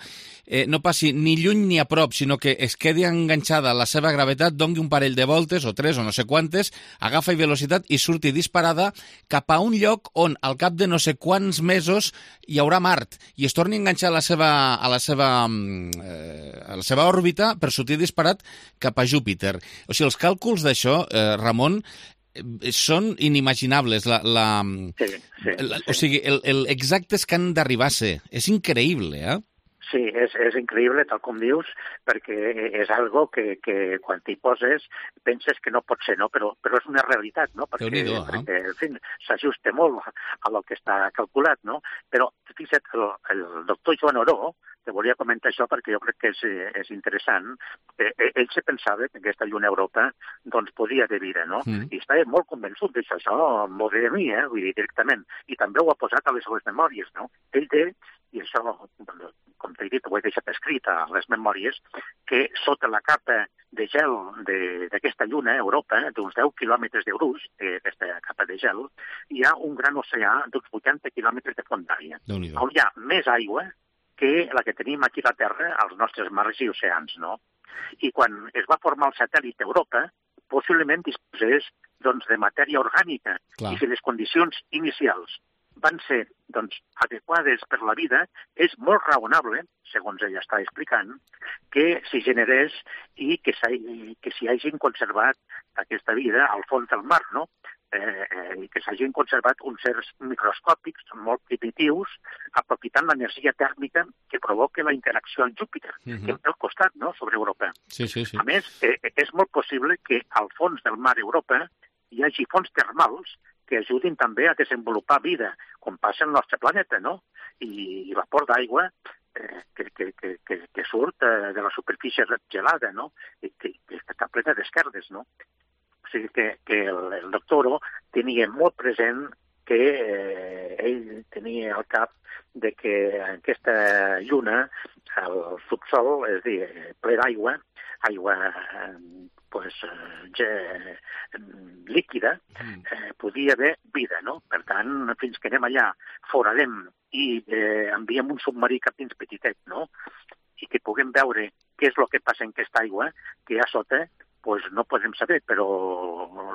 eh, no passi ni lluny ni a prop, sinó que es quedi enganxada a la seva gravetat, doni un parell de voltes, o tres, o no sé quantes, agafa velocitat i surti disparada cap a un lloc on al cap de no sé quants mesos hi haurà Mart i es torni a enganxar a la seva, a la seva, eh, a la seva òrbita per sortir disparat cap a Júpiter. O sigui, els càlculs d'això, eh, Ramon, eh, són inimaginables. La, la, sí, sí, la, o sigui, el, el exactes que han d'arribar a ser. És increïble, eh? Sí, és, és increïble, tal com dius, perquè és algo que, que quan t'hi poses penses que no pot ser, no? Però, però és una realitat, no? Perquè, eh? perquè en fi, s'ajusta molt a lo que està calculat, no? Però, fixa't, el, el doctor Joan Oró, te volia comentar això perquè jo crec que és, és interessant. Eh, ell se pensava que aquesta lluna Europa doncs podia haver vida, no? Mm. I estava molt convençut d'això, això m'ho ve de mi, eh? Vull dir, directament. I també ho ha posat a les seues memòries, no? Ell té, i això, com t'he dit, ho he deixat escrit a les memòries, que sota la capa de gel d'aquesta lluna Europa, d'uns deu quilòmetres de gruix, aquesta capa de gel, hi ha un gran oceà d'uns vuitanta quilòmetres de fondària, on hi ha més aigua que la que tenim aquí a la Terra, als nostres mars i oceans, no? I quan es va formar el satèl·lit Europa, possiblement disposés doncs, de matèria orgànica. Clar. I si les condicions inicials van ser doncs, adequades per la vida, és molt raonable, segons ella està explicant, que s'hi generés i que s'hi hagin conservat aquesta vida al fons del mar, no? Eh, eh, i que s'hagin conservat uns certs microscòpics molt primitius, aprofitant l'energia tèrmica que provoca la interacció amb Júpiter, uh-huh. que és al costat, no?, sobre Europa. Sí, sí, sí. A més, eh, és molt possible que al fons del mar Europa hi hagi fonts termals que ajudin també a desenvolupar vida, com passa al nostre planeta, no? I, i vapor d'aigua eh, que, que, que, que, que surt eh, de la superfície gelada, no? I que, que està plena d'esquerdes, no? O sigui que, que el, el doctor tenia molt present que eh, ell tenia al cap de que aquesta lluna, el subsol, és a dir, ple d'aigua, aigua pues, eh, líquida, eh, podia haver vida, no? Per tant, fins que anem allà, foradem i eh, enviem un submarí cap dins petitet, no? I que puguem veure què és el que passa en aquesta aigua, que hi ha sota, pues no podem saber, però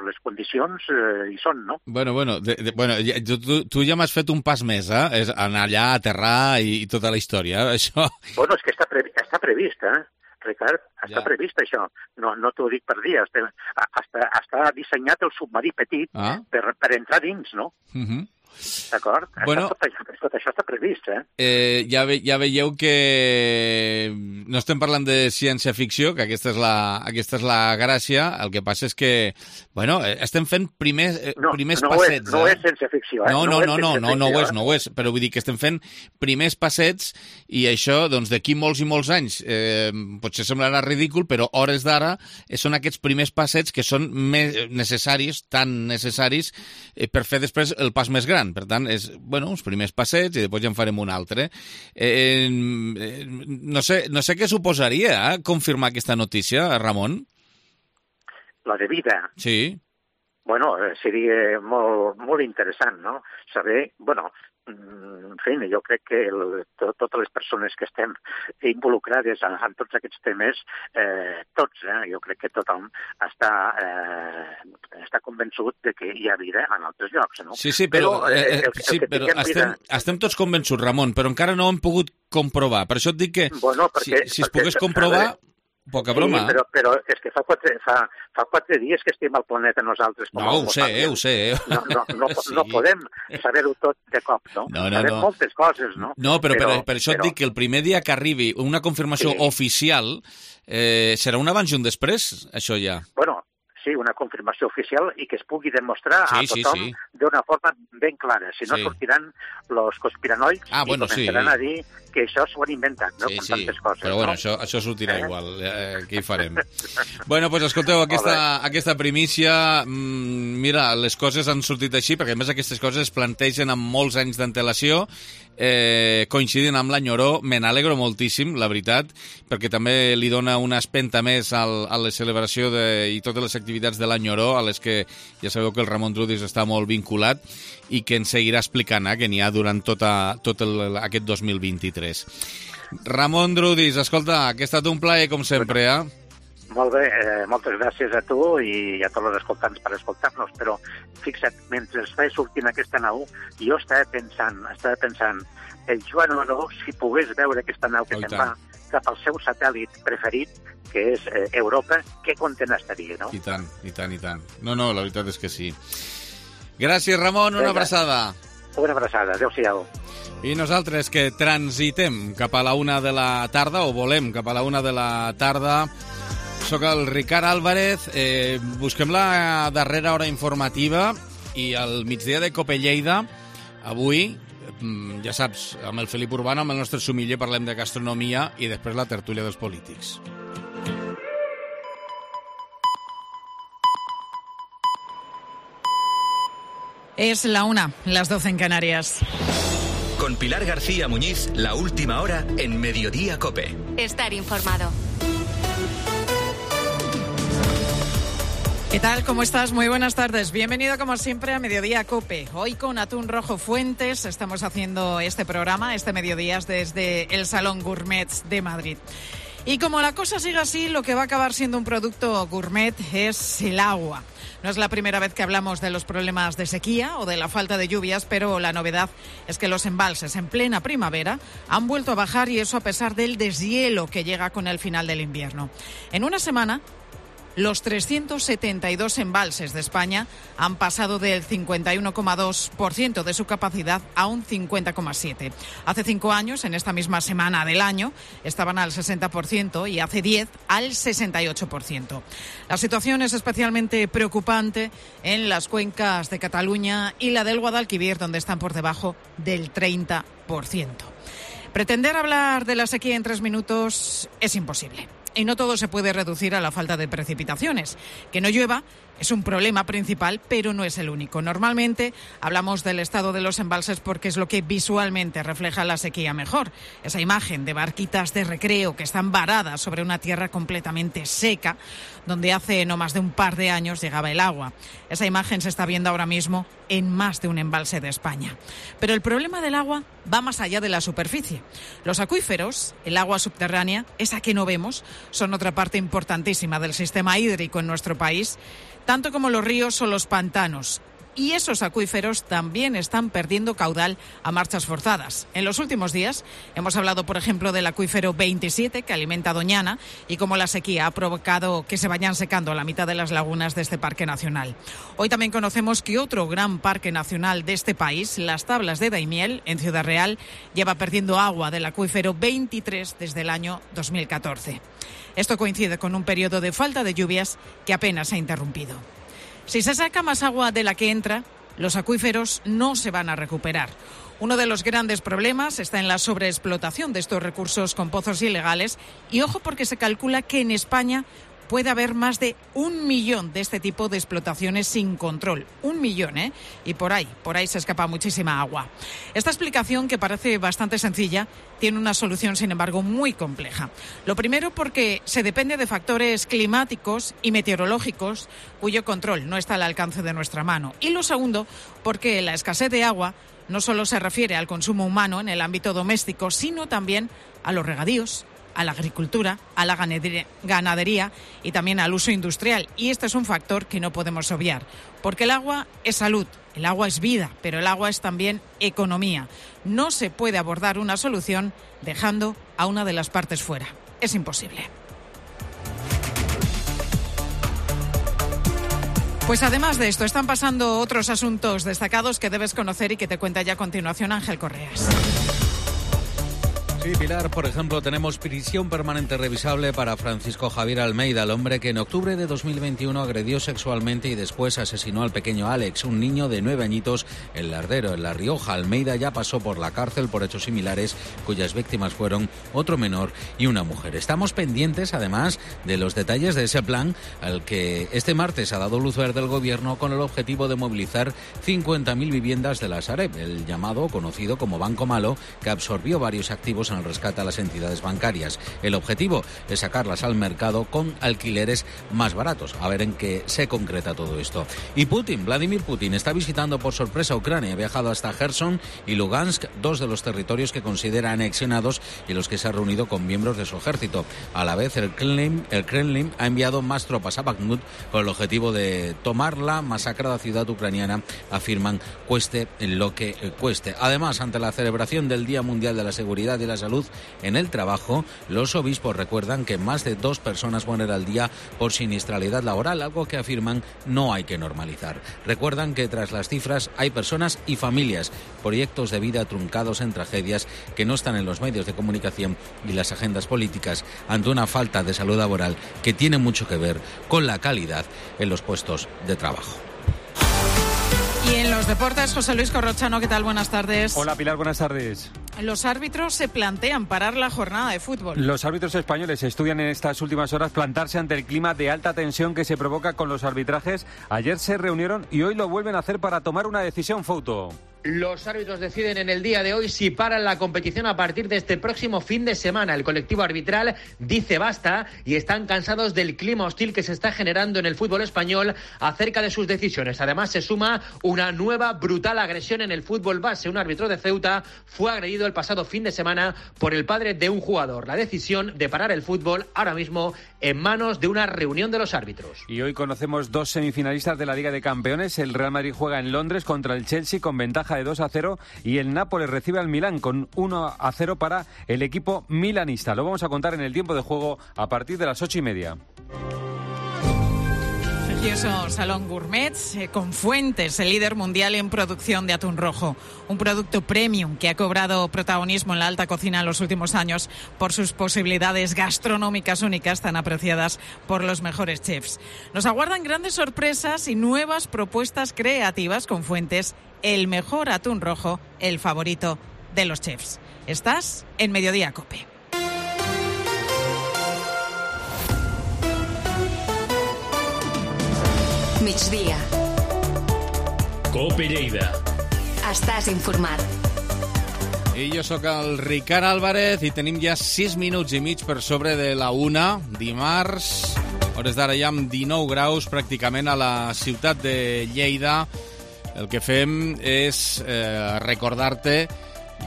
les condicions eh, hi són, no? Bueno, bueno, de, de, bueno tu, tu ja m'has fet un pas més, eh? És anar allà, aterrar i, i tota la història, eh? Això... Bueno, és que està, pre està previst, eh? Ricard, està ja. previst això. No, no t'ho dic per dir, està, està, està dissenyat el submarí petit ah. per, per entrar dins, no? Uh -huh. D'acord? Bueno, tot, tot això està previst, eh? eh ja, ve, ja veieu que no estem parlant de ciència-ficció, que aquesta és, la, aquesta és la gràcia, el que passa és que, bueno, estem fent primers, no, primers no passets. És, no eh? és ciència-ficció, eh? No, no, no, no, no, no, no ho és, eh? no ho és, però vull dir que estem fent primers passets i això, doncs, d'aquí molts i molts anys, eh, potser semblarà ridícul, però hores d'ara són aquests primers passets que són més necessaris, tan necessaris, eh, per fer després el pas més gran. Per tant, és, bueno, uns primers passets i després ja en farem un altre. Eh, eh, no sé, no sé què suposaria, eh, confirmar aquesta notícia, Ramon? La de vida? Sí. Bueno, seria molt, molt interessant, no? Saber, bueno, en fi, jo crec que el, to, totes les persones que estem involucrades en, en tots aquests temes, eh, tots, eh, jo crec que tothom està, eh, està convençut de que hi ha vida en altres llocs, no? Sí, sí, però, però, eh, el, el sí, però estem, vida... estem tots convençuts, Ramon, però encara no ho hem pogut comprovar. Per això et dic que bueno, perquè, si, si es perquè, pogués comprovar... Poca broma. Sí, però, però és que fa quatre, fa, fa quatre dies que estem al planeta nosaltres. Com no, ho sé, eh, ho sé. Eh? No, no, no, sí. no podem saber-ho tot de cop, no? No, no, Sabem no. moltes coses, no? No, però, però per, per això però... et dic que el primer dia que arribi una confirmació sí. oficial eh, serà un abans i un després, això ja. Bueno, sí, una confirmació oficial i que es pugui demostrar sí, a tothom sí, sí. d'una forma ben clara. Si no sí. sortiran los conspiranoics ah, bueno, i començaran sí. a dir que això s'ho han inventat, no? Sí, Com sí. tantes coses. Però bueno, no? això, això sortirà eh? igual. Eh, què hi farem? Bueno, doncs escolteu, aquesta, aquesta primícia, mmm, mira, les coses han sortit així, perquè a més aquestes coses es plantegen amb molts anys d'antelació, eh, coincidint amb l'any Oró. Me n'alegro moltíssim, la veritat, perquè també li dona una espenta més al, a la celebració de, i totes les activitats de l'any Oró, a les que ja sabeu que el Ramon Drudis està molt vinculat i que ens seguirà explicant, eh, que n'hi ha durant tota, tot el, aquest dos mil vint-i-tres. Ramon Drudis, escolta, que ha estat un plaer com sempre, eh? Molt bé, eh, moltes gràcies a tu i a tots els escoltants per escoltar-nos, però fixa't, mentre estava sortint aquesta nau, jo estava pensant, estava pensant, el Joan Oró, si pogués veure aquesta nau que se'n va cap al seu satèl·lit preferit, que és eh, Europa, que content estaria, no? I tant, i tant, i tant. No, no, la veritat és que sí. Gràcies, Ramon, una Vinga. abraçada. Una abraçada, adéu-siau. I nosaltres que transitem cap a la una de la tarda, o volem cap a la una de la tarda, soc el Ricard Álvarez, eh, busquem la darrera hora informativa i al migdia de Cope Lleida, avui, ja saps, amb el Felip Urbano, amb el nostre sumiller, parlem de gastronomia i després la tertúlia dels polítics. Es la una, las doce en Canarias. Con Pilar García Muñiz, la última hora en Mediodía Cope. Estar informado. ¿Qué tal? ¿Cómo estás? Muy buenas tardes. Bienvenido como siempre a Mediodía Cope. Hoy con Atún Rojo Fuentes estamos haciendo este programa, este Mediodía, desde el Salón Gourmet de Madrid. Y como la cosa sigue así, lo que va a acabar siendo un producto gourmet es el agua. No es la primera vez que hablamos de los problemas de sequía o de la falta de lluvias, pero la novedad es que los embalses en plena primavera han vuelto a bajar, y eso a pesar del deshielo que llega con el final del invierno. En una semana, los trescientos setenta y dos embalses de España han pasado del cincuenta y uno coma dos por ciento de su capacidad a un cincuenta coma siete por ciento. Hace cinco años, en esta misma semana del año, estaban al sesenta por ciento y hace diez al sesenta y ocho por ciento. La situación es especialmente preocupante en las cuencas de Cataluña y la del Guadalquivir, donde están por debajo del treinta por ciento. Pretender hablar de la sequía en tres minutos es imposible. Y no todo se puede reducir a la falta de precipitaciones. Que no llueva es un problema principal, pero no es el único. Normalmente hablamos del estado de los embalses porque es lo que visualmente refleja la sequía mejor. Esa imagen de barquitas de recreo que están varadas sobre una tierra completamente seca, donde hace no más de un par de años llegaba el agua. Esa imagen se está viendo ahora mismo en más de un embalse de España. Pero el problema del agua va más allá de la superficie. Los acuíferos, el agua subterránea, esa que no vemos, son otra parte importantísima del sistema hídrico en nuestro país, tanto como los ríos o los pantanos. Y esos acuíferos también están perdiendo caudal a marchas forzadas. En los últimos días hemos hablado, por ejemplo, del acuífero veintisiete, que alimenta Doñana, y cómo la sequía ha provocado que se vayan secando la mitad de las lagunas de este parque nacional. Hoy también conocemos que otro gran parque nacional de este país, las Tablas de Daimiel, en Ciudad Real, lleva perdiendo agua del acuífero veintitrés desde el año dos mil catorce. Esto coincide con un periodo de falta de lluvias que apenas se ha interrumpido. Si se saca más agua de la que entra, los acuíferos no se van a recuperar. Uno de los grandes problemas está en la sobreexplotación de estos recursos con pozos ilegales. Y ojo, porque se calcula que en España puede haber más de un millón de este tipo de explotaciones sin control. Un millón, ¿eh? Y por ahí, por ahí se escapa muchísima agua. Esta explicación, que parece bastante sencilla, tiene una solución, sin embargo, muy compleja. Lo primero, porque se depende de factores climáticos y meteorológicos cuyo control no está al alcance de nuestra mano. Y lo segundo, porque la escasez de agua no solo se refiere al consumo humano en el ámbito doméstico, sino también a los regadíos, a la agricultura, a la ganadería y también al uso industrial. Y este es un factor que no podemos obviar, porque el agua es salud, el agua es vida, pero el agua es también economía. No se puede abordar una solución dejando a una de las partes fuera. Es imposible. Pues además de esto, están pasando otros asuntos destacados que debes conocer y que te cuenta ya a continuación Ángel Correas. Sí, Pilar, por ejemplo, tenemos prisión permanente revisable para Francisco Javier Almeida, el hombre que en octubre de dos mil veintiuno agredió sexualmente y después asesinó al pequeño Alex, un niño de nueve añitos, en Lardero, en La Rioja. Almeida ya pasó por la cárcel por hechos similares, cuyas víctimas fueron otro menor y una mujer. Estamos pendientes, además, de los detalles de ese plan al que este martes ha dado luz verde el Gobierno con el objetivo de movilizar cincuenta mil viviendas de la Sareb, el llamado, conocido como Banco Malo, que absorbió varios activos en el rescate a las entidades bancarias. El objetivo es sacarlas al mercado con alquileres más baratos. A ver en qué se concreta todo esto. Y Putin, Vladimir Putin, está visitando por sorpresa Ucrania. Ha viajado hasta Gerson y Lugansk, dos de los territorios que considera anexionados y los que se ha reunido con miembros de su ejército. A la vez, el Kremlin, el Kremlin ha enviado más tropas a Bakhmut con el objetivo de tomar la masacrada ciudad ucraniana, afirman, cueste lo que cueste. Además, ante la celebración del Día Mundial de la Seguridad y la salud en el trabajo, los obispos recuerdan que más de dos personas mueren al día por siniestralidad laboral, algo que afirman no hay que normalizar. Recuerdan que tras las cifras hay personas y familias, proyectos de vida truncados en tragedias que no están en los medios de comunicación y las agendas políticas ante una falta de salud laboral que tiene mucho que ver con la calidad en los puestos de trabajo. Y en los deportes, José Luis Corrochano, ¿qué tal? Buenas tardes. Hola Pilar, buenas tardes. Los árbitros se plantean parar la jornada de fútbol. Los árbitros españoles estudian en estas últimas horas plantarse ante el clima de alta tensión que se provoca con los arbitrajes. Ayer se reunieron y hoy lo vuelven a hacer para tomar una decisión, Fouto. Los árbitros deciden en el día de hoy si paran la competición a partir de este próximo fin de semana. El colectivo arbitral dice basta y están cansados del clima hostil que se está generando en el fútbol español acerca de sus decisiones. Además, se suma una nueva brutal agresión en el fútbol base. Un árbitro de Ceuta fue agredido el pasado fin de semana por el padre de un jugador. La decisión de parar el fútbol ahora mismo en manos de una reunión de los árbitros. Y hoy conocemos dos semifinalistas de la Liga de Campeones. El Real Madrid juega en Londres contra el Chelsea con ventaja de dos a cero y el Nápoles recibe al Milán con uno a cero para el equipo milanista. Lo vamos a contar en el tiempo de juego a partir de las ocho y media. Precioso Salón Gourmet eh, con Fuentes, el líder mundial en producción de atún rojo. Un producto premium que ha cobrado protagonismo en la alta cocina en los últimos años por sus posibilidades gastronómicas únicas tan apreciadas por los mejores chefs. Nos aguardan grandes sorpresas y nuevas propuestas creativas con Fuentes, el mejor atún rojo, el favorito de los chefs. Estás en Mediodía COPE. Migdia. COPE Lleida. Estàs informat. I jo sóc el Ricard Álvarez i tenim ja sis minuts i mig per sobre de la una, dimarts, hores d'ara ja amb dinou graus pràcticament a la ciutat de Lleida. El que fem és eh, recordar-te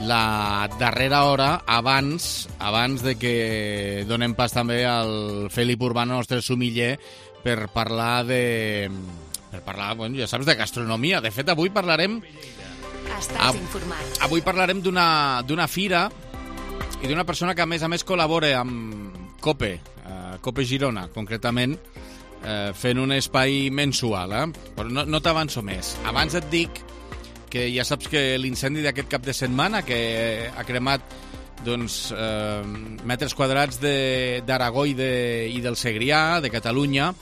la darrera hora abans abans de que donem pas també al Felip Urbano, nostre sumiller, per parlar de... per parlar, bueno, ja saps, de gastronomia. De fet, avui parlarem... Estàs informat. Avui parlarem d'una d'una fira i d'una persona que, a més a més, col·labora amb COPE, eh, COPE Girona, concretament, eh, fent un espai mensual, eh? Però no, no t'avanço més. Abans et dic que ja saps que l'incendi d'aquest cap de setmana, que ha cremat doncs, eh, metres quadrats d'Aragó i, de, i del Segrià, de Catalunya,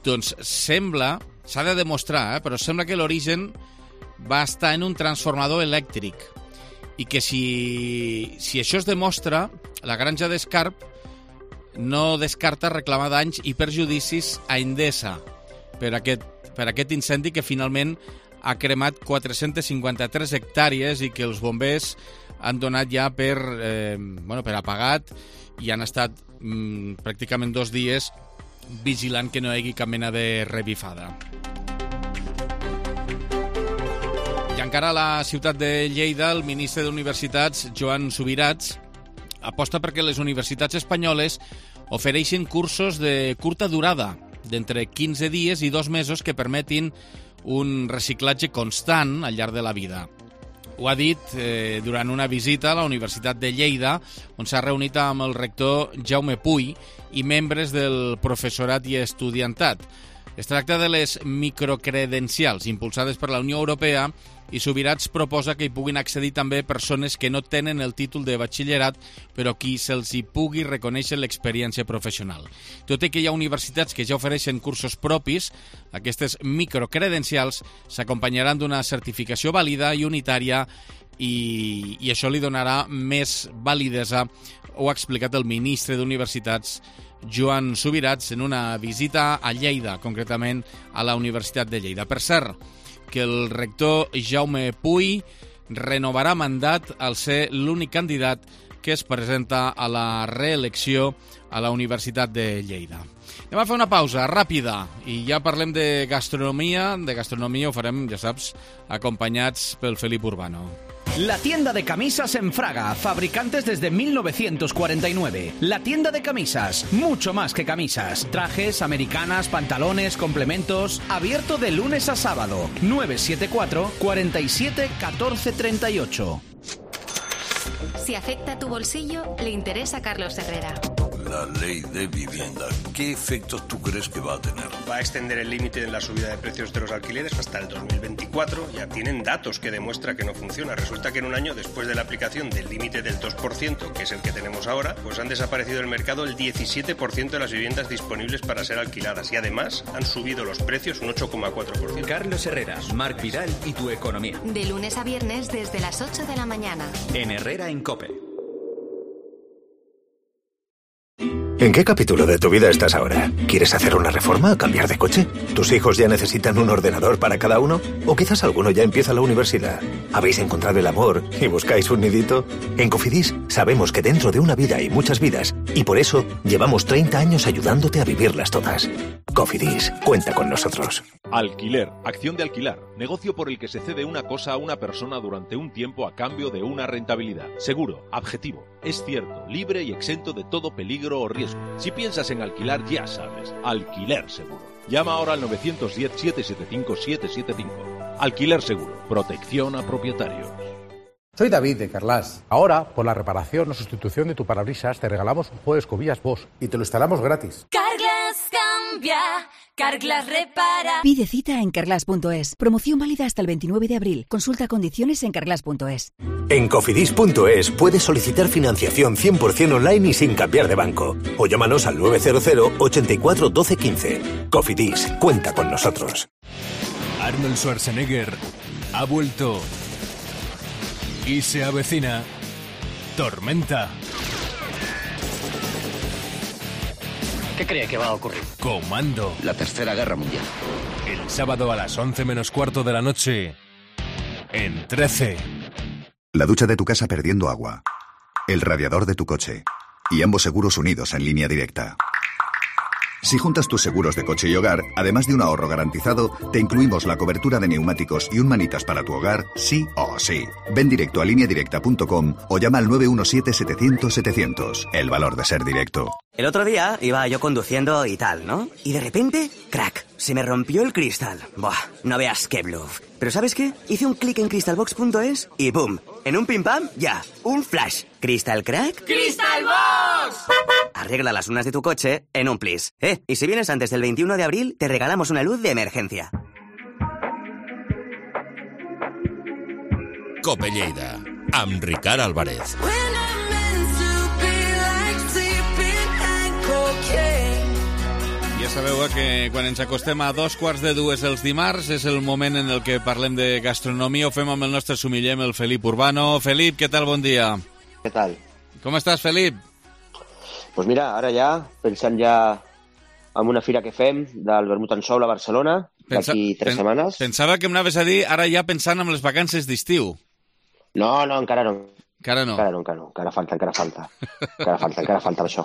doncs sembla, s'ha de demostrar, eh, però sembla que l'origen va estar en un transformador elèctric i que si, si això es demostra, la granja d'Escarp no descarta reclamar danys i perjudicis a Endesa per aquest, per aquest incendi que finalment ha cremat quatre-centes cinquanta-tres hectàrees i que els bombers han donat ja per, eh, bueno, per apagat i han estat mm, pràcticament dos dies vigilant que no hi hagi cap mena de revifada. I encara a la ciutat de Lleida, el ministre d'Universitats, Joan Subirats, aposta perquè les universitats espanyoles ofereixen cursos de curta durada, d'entre quinze dies i dos mesos, que permetin un reciclatge constant al llarg de la vida. Ho ha dit eh, durant una visita a la Universitat de Lleida, on s'ha reunit amb el rector Jaume Puy i membres del professorat i estudiantat. Es tracta de les microcredencials impulsades per la Unió Europea i Subirats proposa que hi puguin accedir també persones que no tenen el títol de batxillerat, però qui se'ls hi pugui reconèixer l'experiència professional. Tot i que hi ha universitats que ja ofereixen cursos propis, aquestes microcredencials s'acompanyaran d'una certificació vàlida i unitària i, i això li donarà més validesa, ho ha explicat el ministre d'Universitats, Joan Subirats, en una visita a Lleida, concretament a la Universitat de Lleida. Per cert, que el rector Jaume Puy renovarà mandat al ser l'únic candidat que es presenta a la reelecció a la Universitat de Lleida. Anem a fer una pausa ràpida i ja parlem de gastronomia. De gastronomia ho farem, ja saps, acompanyats pel Felip Urbano. La tienda de camisas en Fraga, fabricantes desde mil novecientos cuarenta y nueve. La tienda de camisas, mucho más que camisas. Trajes, americanas, pantalones, complementos. Abierto de lunes a sábado. nueve siete cuatro, cuarenta y siete, catorce treinta y ocho. Si afecta a tu bolsillo, le interesa a Carlos Herrera. La ley de vivienda, ¿qué efectos tú crees que va a tener? Va a extender el límite de la subida de precios de los alquileres hasta el dos mil veinticuatro. Ya tienen datos que demuestran que no funciona. Resulta que en un año, después de la aplicación del límite del dos por ciento, que es el que tenemos ahora, pues han desaparecido del mercado el diecisiete por ciento de las viviendas disponibles para ser alquiladas. Y además han subido los precios un ocho coma cuatro por ciento. Carlos Herrera, Marc Vidal y tu economía. De lunes a viernes desde las ocho de la mañana. En Herrera en COPE. ¿En qué capítulo de tu vida estás ahora? ¿Quieres hacer una reforma o cambiar de coche? ¿Tus hijos ya necesitan un ordenador para cada uno? ¿O quizás alguno ya empieza la universidad? ¿Habéis encontrado el amor y buscáis un nidito? En Cofidis sabemos que dentro de una vida hay muchas vidas y por eso llevamos treinta años ayudándote a vivirlas todas. Cofidis, cuenta con nosotros. Alquiler, acción de alquilar, negocio por el que se cede una cosa a una persona durante un tiempo a cambio de una rentabilidad. Seguro, objetivo, es cierto, libre y exento de todo peligro o riesgo. Si piensas en alquilar, ya sabes, Alquiler Seguro. Llama ahora al nueve uno cero, siete siete cinco, siete siete cinco. Alquiler Seguro, protección a propietarios. Soy David de Carlas. Ahora, por la reparación o sustitución de tu parabrisas, te regalamos un juego de escobillas Bosch y te lo instalamos gratis. Carglass cambia, Carglass repara. Pide cita en carglass punto es. Promoción válida hasta el veintinueve de abril. Consulta condiciones en carglass punto es. En cofidis punto es puedes solicitar financiación cien por ciento online y sin cambiar de banco. O llámanos al nueve cero cero, ochenta y cuatro, doce, quince. Cofidis, cuenta con nosotros. Arnold Schwarzenegger ha vuelto y se avecina Tormenta. ¿Qué cree que va a ocurrir? Comando. La Tercera Guerra Mundial. El sábado a las once menos cuarto de la noche en trece. La ducha de tu casa perdiendo agua. El radiador de tu coche. Y ambos seguros unidos en línea directa. Si juntas tus seguros de coche y hogar, además de un ahorro garantizado, te incluimos la cobertura de neumáticos y un manitas para tu hogar, sí o sí. Ven directo a línea directa punto com o llama al nueve uno siete, setecientos, setecientos. El valor de ser directo. El otro día iba yo conduciendo y tal, ¿no? Y de repente, crack, se me rompió el cristal. Buah, no veas qué bluff. Pero ¿sabes qué? Hice un clic en crystalbox punto es y ¡boom! En un pim pam, ya, un flash. ¿Crystal crack? ¡Crystalbox! Arregla las lunas de tu coche en un plis. Eh, y si vienes antes del veintiuno de abril, te regalamos una luz de emergencia. Cope Lleida, amb Ricard Álvarez. Ja sabeu eh, que quan ens acostem a dos quarts de dues els dimarts és el moment en el que parlem de gastronomia. Ho fem amb el nostre sumiller, el Felip Urbano. Felip, què tal? Bon dia. Què tal? Com estàs, Felip? Pues mira, ara ja, pensant ja en una fira que fem del vermut en Soul a Barcelona, Pensa... d'aquí tres pen... setmanes. Pensava que m'anaves a dir ara ja pensant en les vacances d'estiu. No, no, encara no. Encara no. Encara no, encara no. Encara falta, encara falta. Encara falta, encara falta això.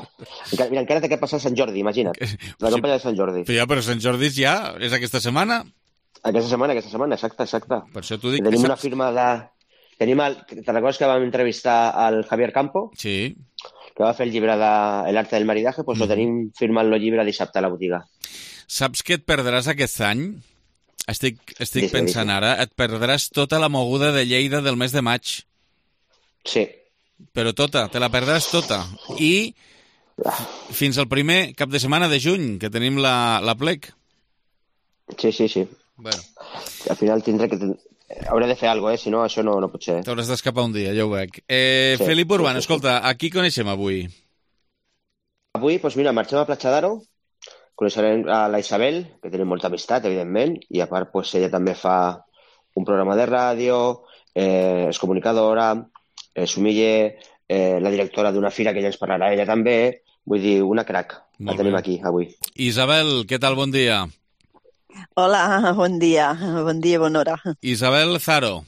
Encara, mira, encara té que passar Sant Jordi, imagina't. La campanya de Sant Jordi. Però ja, però Sant Jordi ja és aquesta setmana? Aquesta setmana, aquesta setmana, exacte, exacte. Per això t'ho dic. Tenim que una saps... firma de... Tenim el... Te'n recordes que vam entrevistar al Javier Campo? Sí. Que va fer el llibre de El arte del maridaje, doncs mm. lo tenim firmant el llibre dissabte a la botiga. Saps que et perdràs aquest any? Estic, estic dice, pensant dice. ara, et perdràs tota la moguda de Lleida del mes de maig. Sí. Però tota, te la perdràs tota. I fins al primer cap de setmana de juny, que tenim la, la plec. Sí, sí, sí. Bueno. Al final tindré que... Hauré de fer alguna cosa, eh? Si no, això no, no pot ser. T'hauràs d'escapar un dia, ja ho veig. Eh, sí, Felip Urbano, sí, sí, escolta, a qui coneixem avui? Avui, doncs mira, marxem a Platja d'Aro, coneixerem a la Isabel, que tenim molta amistat, evidentment, i a part, doncs, ella també fa un programa de ràdio, eh, és comunicadora, eh, sumiller, eh, la directora d'una fira que ja ens parlarà ella també, vull dir, una crac, la tenim aquí avui. Isabel, què tal? Bon dia. Hola, bon dia, bon dia, bona hora. Isabel Zaro.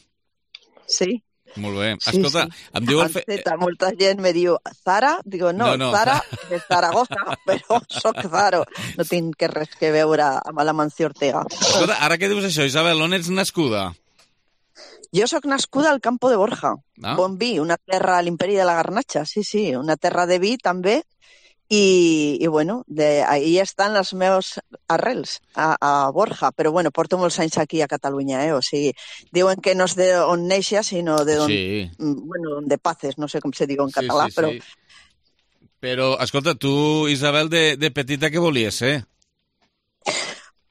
Sí. Molt bé. Sí, Escolta, sí. em diu... El fe... Zeta, molta gent me diu Zara, digo no, no, no. Zara de Zaragoza, però soc Zaro. No tinc que res que veure amb la Mancio Ortega. Escolta, ara que dius això, Isabel, on ets nascuda? Jo sóc nascuda al Campo de Borja, ah. Bon Vi, una terra a l'Imperi de la Garnatxa, sí, sí, una terra de vi també, I, i bueno, de, ahí estan les meves arrels, a, a Borja, però bueno, porto molts anys aquí a Catalunya, eh? O sigui, diuen que no és de on neixes, sinó de on, sí. bueno, de paces, no sé com se diu en català, sí, sí, però... Sí. Però, escolta, tu, Isabel, de, de petita què volies ser?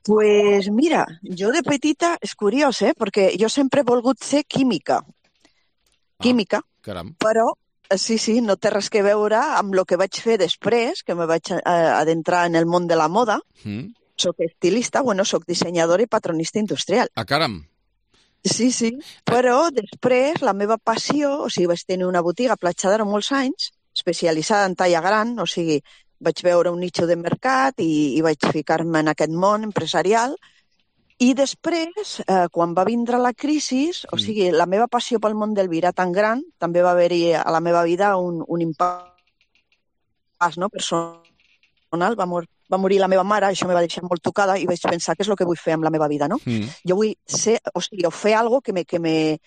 Pues mira, jo de petita, és curiós, eh? Perquè jo sempre he volgut ser química. Química, ah, caram. Però... Sí, sí, no té res que veure amb el que vaig fer després, que me vaig adentrar en el món de la moda. Mm. Soc estilista, bueno, soc dissenyadora i patronista industrial. Ah, caram! Sí, sí, però després la meva passió, o sigui, vaig tenir una botiga a Platja d'Aro molts anys, especialitzada en talla gran, o sigui, vaig veure un nicho de mercat i, i vaig ficar-me en aquest món empresarial. I després, eh, quan va vindre la crisi, o sigui, la meva passió pel món del vi era tan gran, també va haver-hi a la meva vida un, un impàs no, personal. Va, mor va morir la meva mare, això me va deixar molt tocada i vaig pensar què és el que vull fer amb la meva vida, no? Mm. Jo vull ser, o sigui, o fer alguna cosa que me, que me,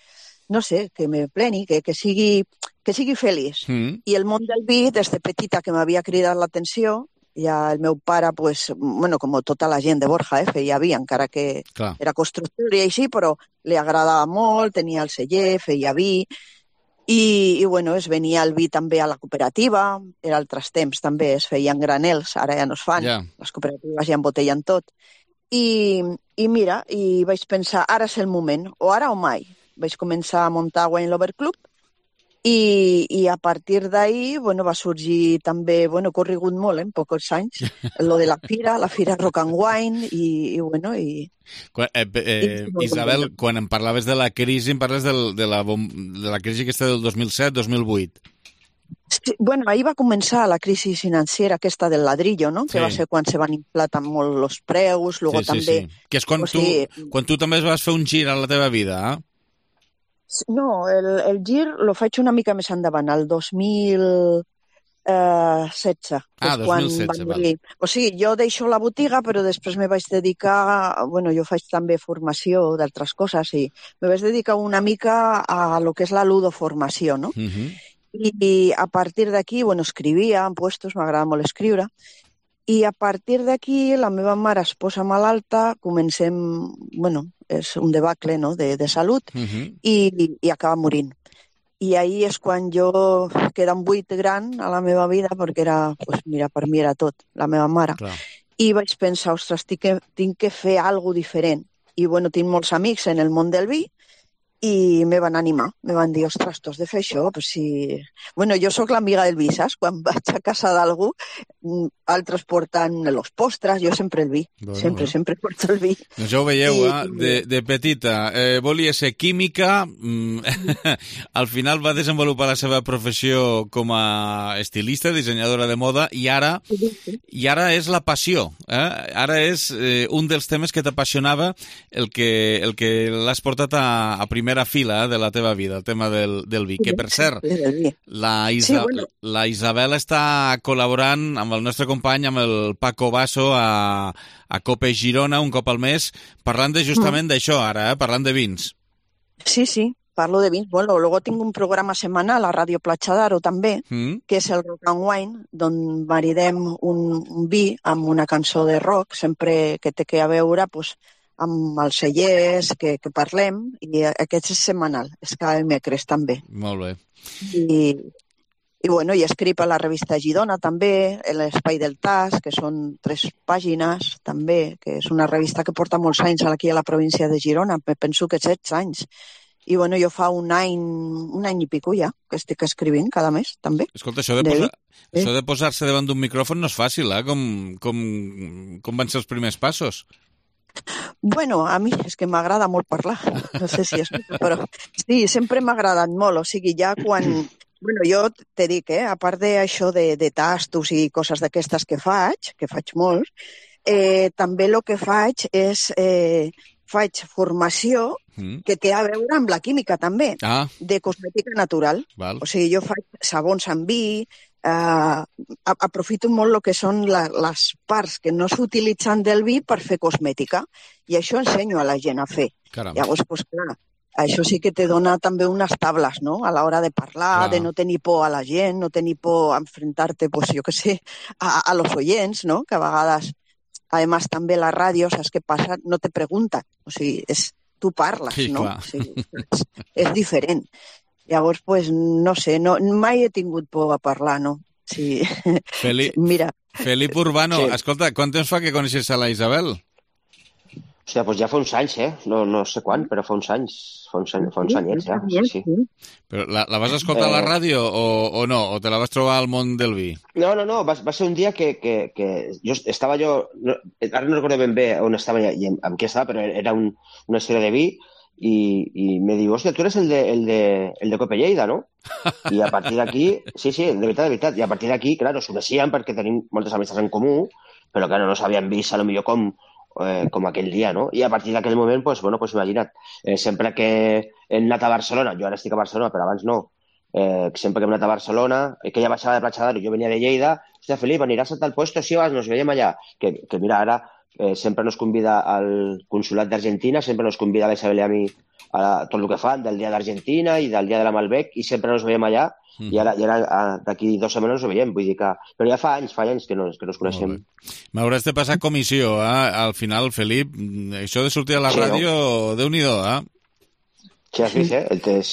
no sé, que me pleni, que, que sigui, que sigui feliç. Mm. I el món del vi, des de petita, que m'havia cridat l'atenció, ja el meu pare, pues, bueno, com tota la gent de Borja, eh, feia vi, encara que Clar. Era constructor i així, però li agradava molt, tenia el celler, feia vi, i, i bueno, es venia el vi també a la cooperativa, en altres temps també es feien granels, ara ja no es fan, yeah. Les cooperatives ja embotellen tot. I, I mira, i vaig pensar, ara és el moment, o ara o mai. Vaig començar a muntar Wine Lover Club, I, i a partir d'ahir bueno, va sorgir també, bueno, he corregut molt, eh, en pocs anys, lo de la fira, la fira Rock and Wine, i, i bueno, i... Quan, eh, eh, Isabel, quan em parlaves de la crisi, em parles del, de, la, de la crisi aquesta del dos mil set dos mil vuit. Sí, bueno, ahir va començar la crisi financera aquesta del ladrillo, no? Sí. Que va ser quan se van inflar tan molt els preus, luego sí, sí, també... Sí. Que és quan, o sigui, tu, quan tu també vas fer un gir a la teva vida, eh? No, el, el gir lo faig una mica més endavant, el dos mil setze. Ah, dos mil setze, val. O sigui, jo deixo la botiga, però després me vaig dedicar... Bueno, jo faig també formació d'altres coses i me vaig dedicar una mica a lo que és la ludoformació, no? Uh-huh. I, I a partir d'aquí, bueno, escrivia en puestos, m'agrada molt escriure, i a partir d'aquí la meva mare es posa malalta, comencem, bueno, és un debacle, no?, de, de salut, uh-huh. i, i acaba morint. I ahir és quan jo queda un buit gran a la meva vida, perquè era, pues mira, per mi era tot, la meva mare. Clar. I vaig pensar, ostres, tinc que, tinc que fer alguna cosa diferent. I, bueno, tinc molts amics en el món del vi, i me van animar, me van dir, ostres, tu has de fer això, però si... Bueno, jo sóc l'amiga del vi, saps? Quan vaig a casa d'algú, altres porten els postres, jo sempre el vi, bueno, sempre, bueno. sempre porto el vi. Doncs ja ho veieu, I... eh? de, de petita, eh, volia ser química, al final va desenvolupar la seva professió com a estilista, dissenyadora de moda, i ara, i ara és la passió, eh? Ara és eh, un dels temes que t'apassionava, el que, el que l'has portat a, a primera fila de la teva vida, el tema del, del vi. Que, per cert, la, Isa, sí, bueno. la Isabel està col·laborant amb el nostre company, amb el Paco Basso, a, a Cope Girona, un cop al mes, parlant de justament mm. d'això ara, eh? Parlant de vins. Sí, sí, parlo de vins. Bueno, luego tinc un programa setmanal a Ràdio Platja d'Aro també, mm. que és el Rock and Wine, on maridem un, un vi amb una cançó de rock, sempre que té que a veure, pues, amb els cellers que, que parlem, i aquest és setmanal, és cada dimecres també. Molt bé. I, i bueno, i escric a la revista Girona també, l'Espai del Tas, que són tres pàgines també, que és una revista que porta molts anys aquí a la província de Girona, penso que setze anys. I bueno, jo fa un any, un any i pico ja, que estic escrivint cada mes, també. Escolta, això de, posa, sí. això de posar-se davant d'un micròfon no és fàcil, eh? Com, com, com van ser els primers passos? Bueno, a mi és que m'agrada molt parlar, no sé si és, però sí, sempre m'ha agradat molt, o sigui, ja quan... Bueno, jo te dic, eh, a part d'això de, de tastos i coses d'aquestes que faig, que faig molt, eh, també el que faig és... Eh, faig formació que té a veure amb la química també, ah. de cosmètica natural. Val. O sigui, jo faig sabons amb vi, eh, aprofito molt el que són la, les parts que no s'utilitzen del vi per fer cosmètica, i això ensenyo a la gent a fer. Caram. Llavors, pues, clar, això sí que te dona també unes tables, no?, a l'hora de parlar, Clar. de no tenir por a la gent, no tenir por a enfrentar-te, pues, jo què sé, a, a los oyents, no?, que a vegades, además també la ràdio, saps què passa? No te pregunten, o sigui, és, tu parles, Sí, no? clar. O sigui, és, és diferent. Llavors, pues, no sé, no, mai he tingut por a parlar, no? Sí. Feli... Mira. Felip Urbano, Sí. escolta, quant temps fa que coneixes a la Isabel? Hòstia, doncs ja fa uns anys, eh? No, no sé quan, però fa uns anys. Fa uns, anys, fa uns anyets, ja. Sí, sí. Però la, la vas escoltar a la Eh. ràdio o, o no? O te la vas trobar al món del vi? No, no, no, va, va ser un dia que, que, que jo estava jo... No, ara no recordo ben bé on estava i amb, amb què estava, però era un, una història de vi i, i me diu, hòstia, tu eres el de, el de, el de Cope Lleida, no? I a partir d'aquí... Sí, sí, de veritat, de veritat. I a partir d'aquí, clar, ens coneixíem perquè tenim moltes amistats en comú, però clar, no ens havíem vist a lo millor com, eh, com aquell dia, no? I a partir d'aquell moment, pues, bueno, pues imagina't, eh, sempre que hem anat a Barcelona, jo ara estic a Barcelona, però abans no, eh, sempre que hem anat a Barcelona, eh, que ella baixava de Platja d'Aro, jo venia de Lleida, hòstia, Felip, aniràs a tal puesto, sí, vas, nos veiem allà. Que, que mira, ara eh, sempre nos convida al Consolat d'Argentina, sempre nos convida a la Isabel i a mi a tot el que fan del Dia d'Argentina i del Dia de la Malbec, i sempre nos veiem allà, mm. i ara, i ara d'aquí dues setmanes nos veiem, vull dir que... Però ja fa anys, fa anys que nos, que nos coneixem. M'hauràs de passar comissió, eh? Al final, Felip, això de sortir a la Sí, ràdio, no? Déu-n'hi-do, eh? Sí, has vist, eh? El tes...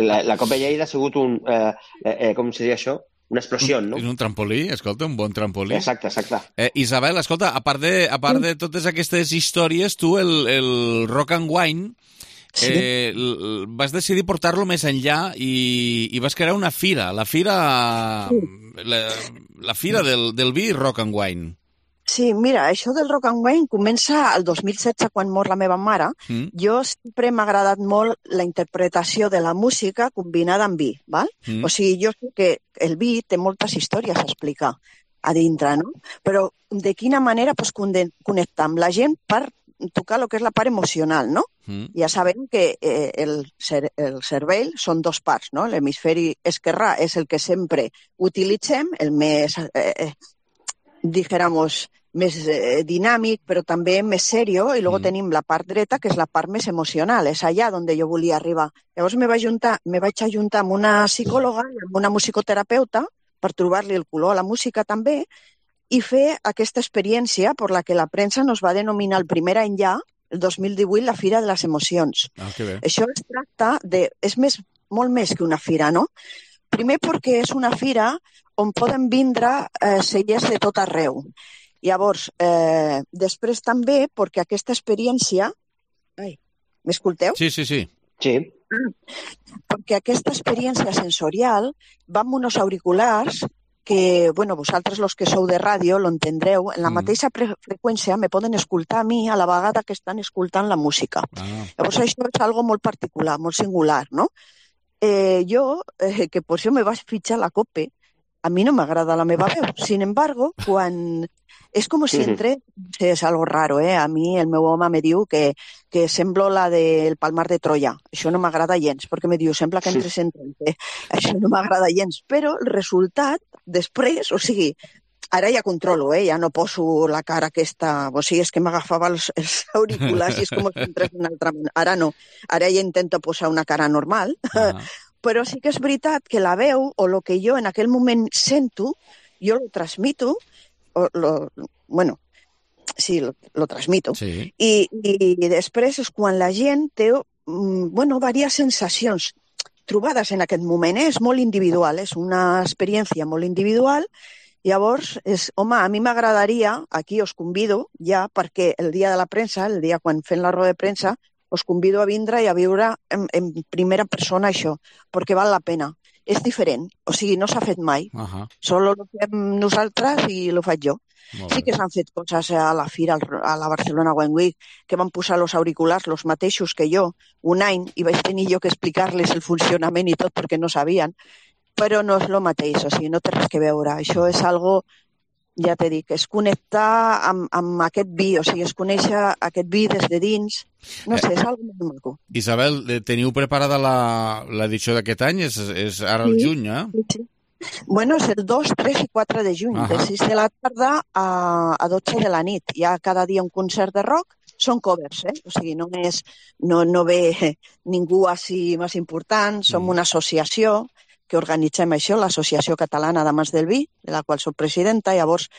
la, la Copa Lleida ha sigut un... Eh, eh, com se diu això? Una explosió, no? És un trampolí, escolta, un bon trampolí. Exacte, exacte. Eh, Isabel, escolta, a part de, a part de totes aquestes històries, tu el, el Rock and Wine eh, l- vas decidir portar-lo més enllà i, i vas crear una fira, la fira, la, la fira del, del vi Rock and Wine. Sí, mira, això del rock and wine comença el dos mil setze, quan mor la meva mare. Mm. Jo sempre m'ha agradat molt la interpretació de la música combinada amb vi, val? Mm. O sigui, jo sé que el vi té moltes històries a explicar a dintre, no? Però de quina manera pues, connectar amb la gent per tocar el que és la part emocional, no? Mm. Ja sabem que eh, el, cer el cervell són dos parts, no? L'hemisferi esquerrà és el que sempre utilitzem, el més, eh, eh, dijéramos, més eh, dinàmic, però també més serio, i luego mm. tenim la part dreta, que és la part més emocional, és allà on jo volia arribar. Llavors me vaig, juntar, me vaig ajuntar amb una psicòloga, amb una musicoterapeuta, per trobar-li el color a la música també, i fer aquesta experiència per la que la premsa nos va denominar el primer any ja, el dos mil divuit, la Fira de les Emocions. Ah, que bé. Això es tracta de... És més, molt més que una fira, no? Primer perquè és una fira on poden vindre eh, cellers de tot arreu. Llavors, eh, després també perquè aquesta experiència... Ai, m'escolteu? Sí, sí, sí. Sí. Perquè aquesta experiència sensorial va amb uns auriculars que, bueno, vosaltres los que sou de ràdio lo entendreu, en la Mm. mateixa freqüència me poden escoltar a mi a la vegada que estan escoltant la música. Ah. Llavors això és algo molt particular, molt singular, no? Eh, jo, eh, que per això me vaig fitxar la COPE, a mi no m'agrada la meva veu. Sin embargo, quan... És com si entre... Sí, és algo raro, eh? A mi el meu home me diu que, que semblo la del Palmar de Troia. Això no m'agrada gens, perquè me diu, sembla que entres en trenta. Això no m'agrada gens. Però el resultat, després, o sigui, ara ja controlo, eh? Ja no poso la cara aquesta... O sigui, és que m'agafava els, els auriculars i és com si entrés d'una altra manera. Ara no. Ara ja intento posar una cara normal. Ah. Però sí que és veritat que la veu o el que jo en aquell moment sento, jo lo transmito, o lo, bueno, sí, lo, lo transmito. Sí. I, i després és quan la gent té, mm, bueno, diverses sensacions trobades en aquest moment, eh? És molt individual, és una experiència molt individual. Llavors, és, home, a mi m'agradaria, aquí us convido ja, perquè el dia de la premsa, el dia quan fem la roda de premsa, us convido a vindre i a viure en, en primera persona això, perquè val la pena. És diferent, o sigui, no s'ha fet mai. Uh -huh. Solo lo fem nosaltres i lo faig jo. Molt Sí bé. que s'han fet coses a la fira, a la Barcelona Wine Week, que van posar els auriculars, los mateixos que jo, un any, i vaig tenir jo que explicar-les el funcionament i tot perquè no sabien, però no és el mateix, o sigui, no té res que veure. Això és algo, ja t'he dit, és connectar amb, amb aquest vi, o sigui, és conèixer aquest vi des de dins. No sé, és algo molt maco. Isabel, eh, teniu preparada la- l'edició d'aquest any? És, és ara al Sí, juny, eh? sí, sí. Bueno, és el dos, tres i quatre de juny, Ahà. de sis de la tarda a, a dotze de la nit. Hi ha cada dia un concert de rock són covers, eh? O sigui, no, és, no, no ve ningú així més important, som mm. una associació que organitzem això, l'Associació Catalana d'Amants del Vi, de la qual soc presidenta, llavors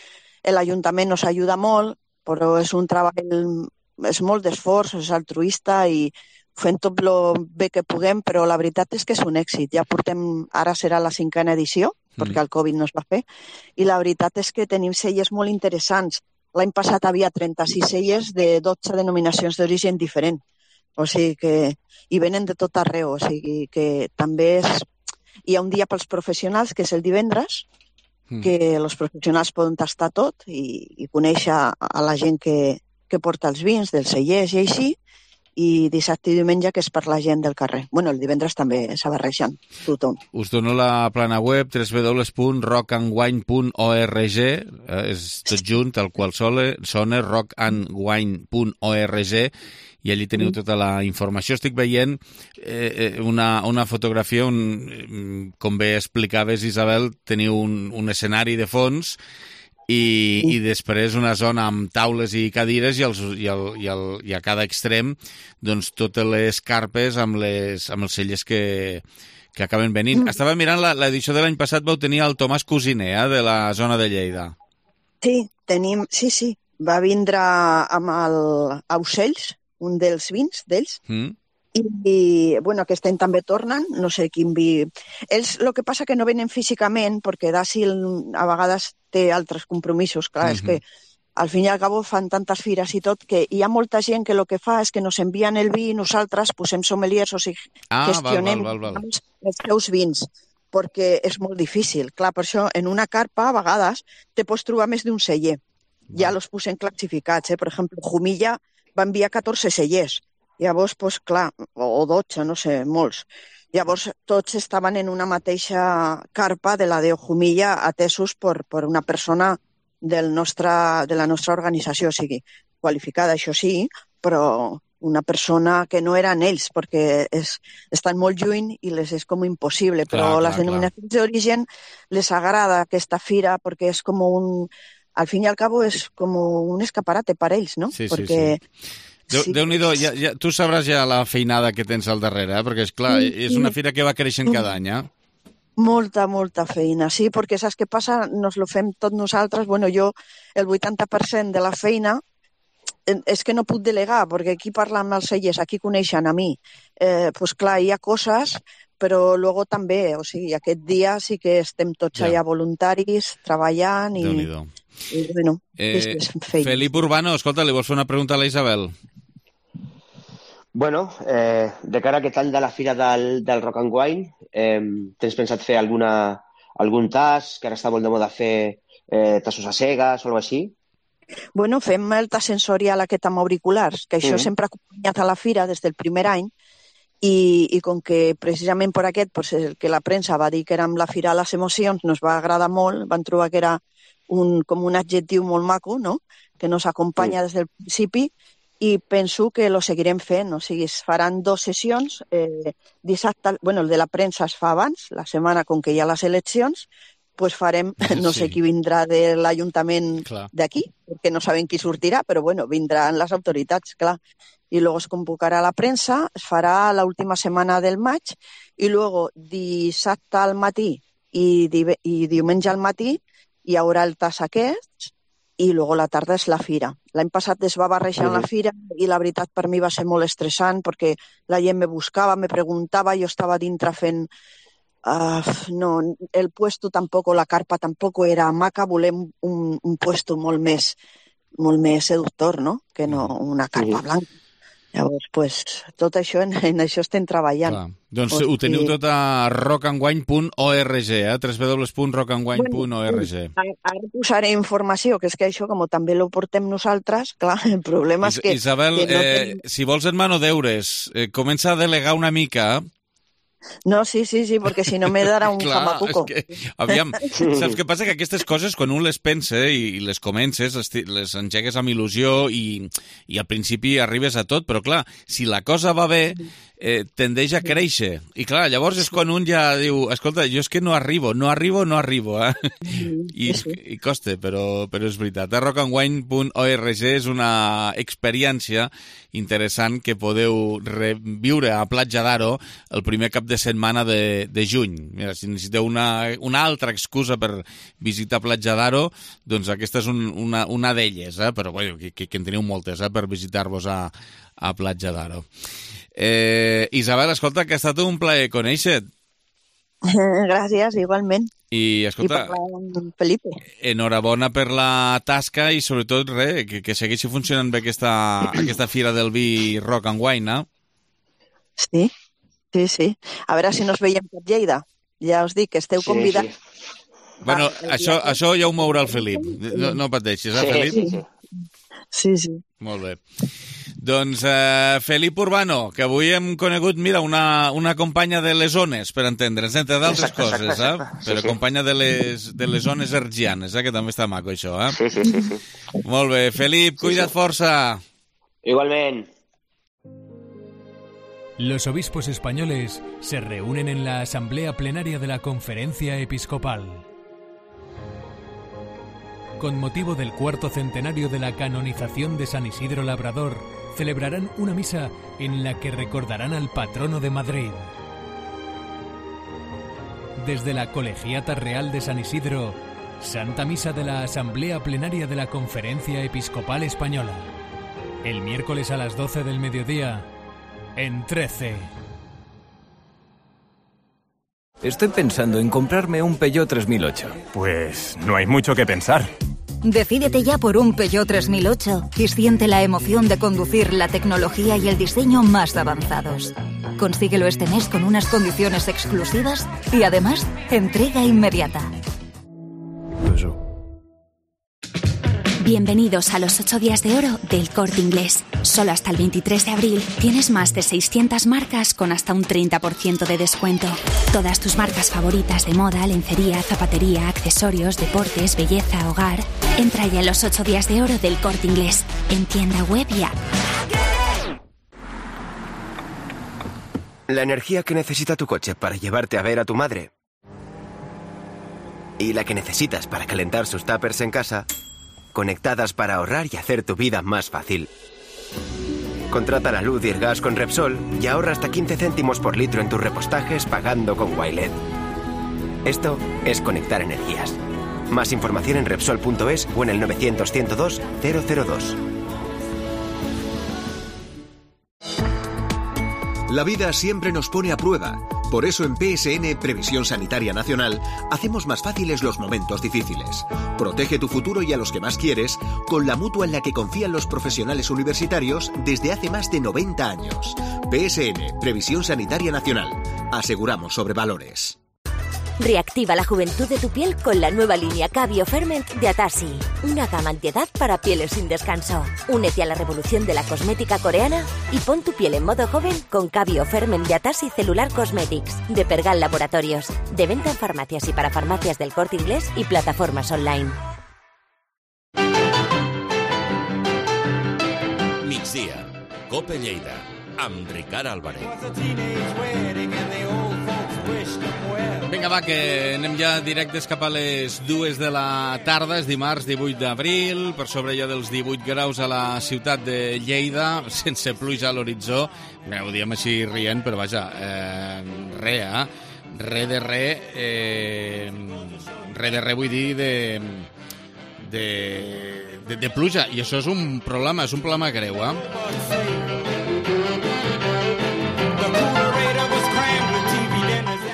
l'Ajuntament nos ajuda molt, però és un treball, és molt d'esforç, és altruista i fem tot el bé que puguem, però la veritat és que és un èxit. Ja portem, ara serà la cinquena edició, mm. perquè el Covid no es va fer, i la veritat és que tenim cellers molt interessants. L'any passat havia trenta-sis cellers de dotze denominacions d'origen diferent, o sigui que i venen de tot arreu, o sigui que també és... Hi ha un dia pels professionals, que és el divendres, mm. que els professionals poden tastar tot i, i conèixer a la gent que, que porta els vins, dels cellers i així, i dissabte i diumenge que és per la gent del carrer. Bueno, el divendres també s'ha barrejant tothom. Us dono la plana web w w w punt rock and wine punt org, eh, és tot junt, el qual sona rock and wine punt org, i allí teniu tota la informació. Estic veient eh, una, una fotografia on, com bé explicaves, Isabel, teniu un, un escenari de fons i, i després una zona amb taules i cadires i, els, i, el, i, el, i a cada extrem doncs, totes les carpes amb, les, amb els cellers que, que acaben venint. Mm. Estava mirant l'edició de l'any passat, vau tenir el Tomàs Cosiner, eh, de la zona de Lleida. Sí, tenim, sí, sí. Va vindre amb el Aucells, un dels vins d'ells, mm. I, i, bueno, aquest any també tornen, no sé quin vi... Ells, el que passa que no venen físicament, perquè Dàcil a vegades té altres compromisos, clar, mm-hmm. és que al fin i al cabo fan tantes fires i tot, que hi ha molta gent que el que fa és que nos envien el vi i nosaltres posem sommeliers, o sigui, ah, gestionem val, val, val, val. els seus vins, perquè és molt difícil. Clar, per això, en una carpa, a vegades, te pots trobar més d'un celler. Ja los posem classificats, eh? Per exemple, Jumilla va enviar catorze cellers. Llavors, pues, clar, o dotze, no sé, molts. Llavors, tots estaven en una mateixa carpa de la de Jumilla atesos per, per una persona del nostre, de la nostra organització, o sigui, qualificada, això sí, però una persona que no eren ells, perquè és, estan molt lluny i les és com impossible, però clar, les clar, denominacions clar. d'origen les agrada aquesta fira perquè és com un... Al fin i al cabo és com un escaparate per ells, no? Sí, perquè... sí, sí. Déu, sí. Déu-n'hi-do, ja, ja, tu sabràs ja la feinada que tens al darrere, eh? Perquè, és clar, sí, és una fira que va creixent cada any, eh? Molta, molta feina, sí, perquè saps què passa? Nos lo fem tot nosaltres. Bueno, jo, el vuitanta per cent de la feina és que no puc delegar, perquè aquí parlen amb els cellers, aquí coneixen a mi. Eh, pues clar, hi ha coses, però luego també, o sigui, aquest dia sí que estem tots ja. allà voluntaris, treballant i... Déu-n'hi-do. I, bueno, eh, Felip Urbano, escolta, li vols fer una pregunta a la Isabel? Bueno, eh, de cara a aquest any de la Fira del, del Rock and Wine, eh, tens pensat fer alguna, algun tas, que ara està molt de moda fer eh, tassos a cegues o alguna així? Bueno, fem el tas sensorial aquest amb auriculars, que això mm. sempre ha acompanyat a la Fira des del primer any, i, i com que precisament per aquest, pues, el que la premsa va dir que érem la Fira de les Emocions, nos va agradar molt, van trobar que era un, com un adjectiu molt maco, no?, que nos acompanya mm. des del principi, i penso que lo seguirem fent, o sigui, es faran dues sessions, eh, dissabte, bueno, el de la premsa es fa abans, la setmana com que hi ha les eleccions, pues farem, no sé sí. qui vindrà de l'Ajuntament d'aquí, perquè no sabem qui sortirà, però bueno, vindran les autoritats, clar. I luego es convocarà la premsa, es farà l'última setmana del maig, i luego dissabte al matí i, di i diumenge al matí hi haurà el tas aquest, i luego la tarda és la fira. L'any passat es va barrejar la fira i la veritat per mi va ser molt estressant perquè la gent me buscava, me preguntava, jo estava dintre fent... Uh, no, el puesto tampoc, la carpa tampoc era maca, volem un, un puesto molt més, molt més seductor, no?, que no una carpa blanca. Llavors, pues, tot això, en, en això estem treballant. Clar. Doncs o ho teniu tot a rock and wine punt org, eh? w w w punt rock and wine punt org. Bueno, ara posaré informació, que és que això, com també ho portem nosaltres, clar, el problema Is és que... Isabel, que no eh, tenim... si vols et mano deures, eh, comença a delegar una mica... No, sí, sí, sí, perquè si no me darà un Clar, jamacuco. És que, aviam, saps què passa? Que aquestes coses, quan un les pensa i les comences, les engegues amb il·lusió i, i al principi arribes a tot, però clar, si la cosa va bé, eh, tendeix a créixer. I clar, llavors és quan un ja diu, escolta, jo és que no arribo, no arribo, no arribo, eh? I, i costa, però, però és veritat. A rock and wine punt org és una experiència interessant que podeu reviure a Platja d'Aro el primer cap de setmana de, de juny. Mira, si necessiteu una, una altra excusa per visitar Platja d'Aro, doncs aquesta és un, una, una d'elles, eh? Però bueno, que, que en teniu moltes, eh? Per visitar-vos a, a Platja d'Aro. Eh, Isabel, escolta, que ha estat un plaer conèixer-te. Gràcies, igualment. I, escolta, I parlar amb Felipe. Enhorabona per la tasca i, sobretot, re, que, que segueixi funcionant bé aquesta, aquesta fira del vi Rock and Wine, eh? Sí, sí, sí. A veure si nos veiem per Lleida. Ja us dic que esteu Sí, convidats. sí. Bueno, això, això ja ho mourà el Felip. No, no pateixis, eh, Sí, Felip? sí, sí. Sí, sí. Molt bé. Doncs eh, Felip Urbano, que avui hem conegut, mira, una, una companya de les ones, per entendre'ns, entre d'altres Exacte, coses, exacte, eh? exacte. Sí, Però sí. companya de les, de les ones ergianes, eh? Que també està maco, això, eh? Sí, sí, sí, sí. Molt bé. Felip, cuida't força. Igualment. Los obispos españoles se reúnen en la Asamblea Plenaria de la Conferencia Episcopal. Con motivo del cuarto centenario de la canonización de San Isidro Labrador, celebrarán una misa en la que recordarán al patrono de Madrid. Desde la Colegiata Real de San Isidro, Santa Misa de la Asamblea Plenaria de la Conferencia Episcopal Española. El miércoles a las doce del mediodía, en trece. Estoy pensando en comprarme un Peugeot tres mil ocho. Pues no hay mucho que pensar. Decídete ya por un Peugeot tres mil ocho y siente la emoción de conducir la tecnología y el diseño más avanzados. Consíguelo este mes con unas condiciones exclusivas y además entrega inmediata. Bienvenidos a los ocho días de oro del Corte Inglés. Solo hasta el veintitrés de abril tienes más de seiscientas marcas con hasta un treinta por ciento de descuento. Todas tus marcas favoritas de moda, lencería, zapatería, accesorios, deportes, belleza, hogar. Entra ya en los ocho días de oro del Corte Inglés. En tienda web y app. La energía que necesita tu coche para llevarte a ver a tu madre. Y la que necesitas para calentar sus tuppers en casa. Conectadas para ahorrar y hacer tu vida más fácil. Contrata la luz y el gas con Repsol y ahorra hasta quince céntimos por litro en tus repostajes pagando con Wilet. Esto es conectar energías. Más información en Repsol punto es o en el novecientos, ciento dos, cero cero dos. La vida siempre nos pone a prueba. Por eso en P S N Previsión Sanitaria Nacional hacemos más fáciles los momentos difíciles. Protege tu futuro y a los que más quieres con la mutua en la que confían los profesionales universitarios desde hace más de noventa años. P S N Previsión Sanitaria Nacional. Aseguramos sobre valores. Reactiva la juventud de tu piel con la nueva línea Cabio Ferment de Atasi. Una gama antiedad para pieles sin descanso. Únete a la revolución de la cosmética coreana y pon tu piel en modo joven con Cabio Ferment de Atasi Cellular Cosmetics de Pergal Laboratorios. De venta en farmacias y para farmacias del Corte Inglés y plataformas online. Migdia, Cope Lleida, amb Ricard Álvarez. Vinga, va, que anem ja directes cap a les dues de la tarda. És dimarts divuit d'abril, per sobre ja dels divuit graus a la ciutat de Lleida, sense pluja a l'horitzó. Bé, ho diem així rient, però vaja, eh, re, eh? Re de re, eh, re de re vull dir de, de, de, de pluja. I això és un problema, és un problema greu, eh?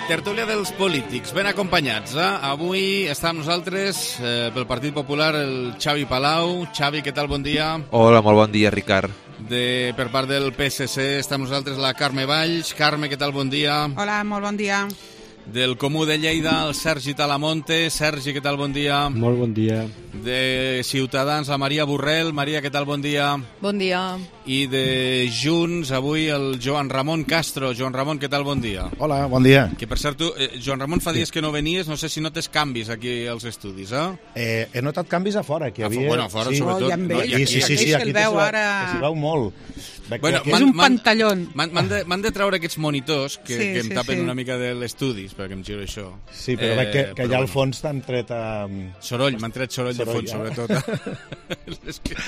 Tertúlia dels polítics, ben acompanyats. Eh? Avui està amb nosaltres eh, pel Partit Popular el Xavi Palau. Xavi, què tal? Bon dia. Hola, molt bon dia, Ricard. De, per part del P S C està amb nosaltres la Carme Valls. Carme, què tal? Bon dia. Hola, molt bon dia. Del Comú de Lleida, el Sergi Talamonte. Sergi, què tal? Bon dia. Molt bon dia. De Ciutadans, la Maria Borrell. Maria, què tal? Bon dia. Bon dia. i de Junts, avui el Joan Ramon Castro. Joan Ramon, què tal? Bon dia. Hola, bon dia. Que per cert, tu, eh, Joan Ramon, fa dies que no venies, no sé si notes canvis aquí als estudis, eh? eh he notat canvis a fora, que havia... Bueno, a fora, sí. sobretot. Oh, ja no, sí, sí, sí, sí, aquí el veu ara... s'hi veu molt. Bueno, és un pantallón. M'han de, de treure aquests monitors que, sí, que em sí, tapen sí. una mica de l'estudi, perquè em giro això. Sí, però eh, veig que, que allà al fons t'han tret... Um... Soroll, m'han tret soroll, soroll de fons, ja. Sobretot. És que...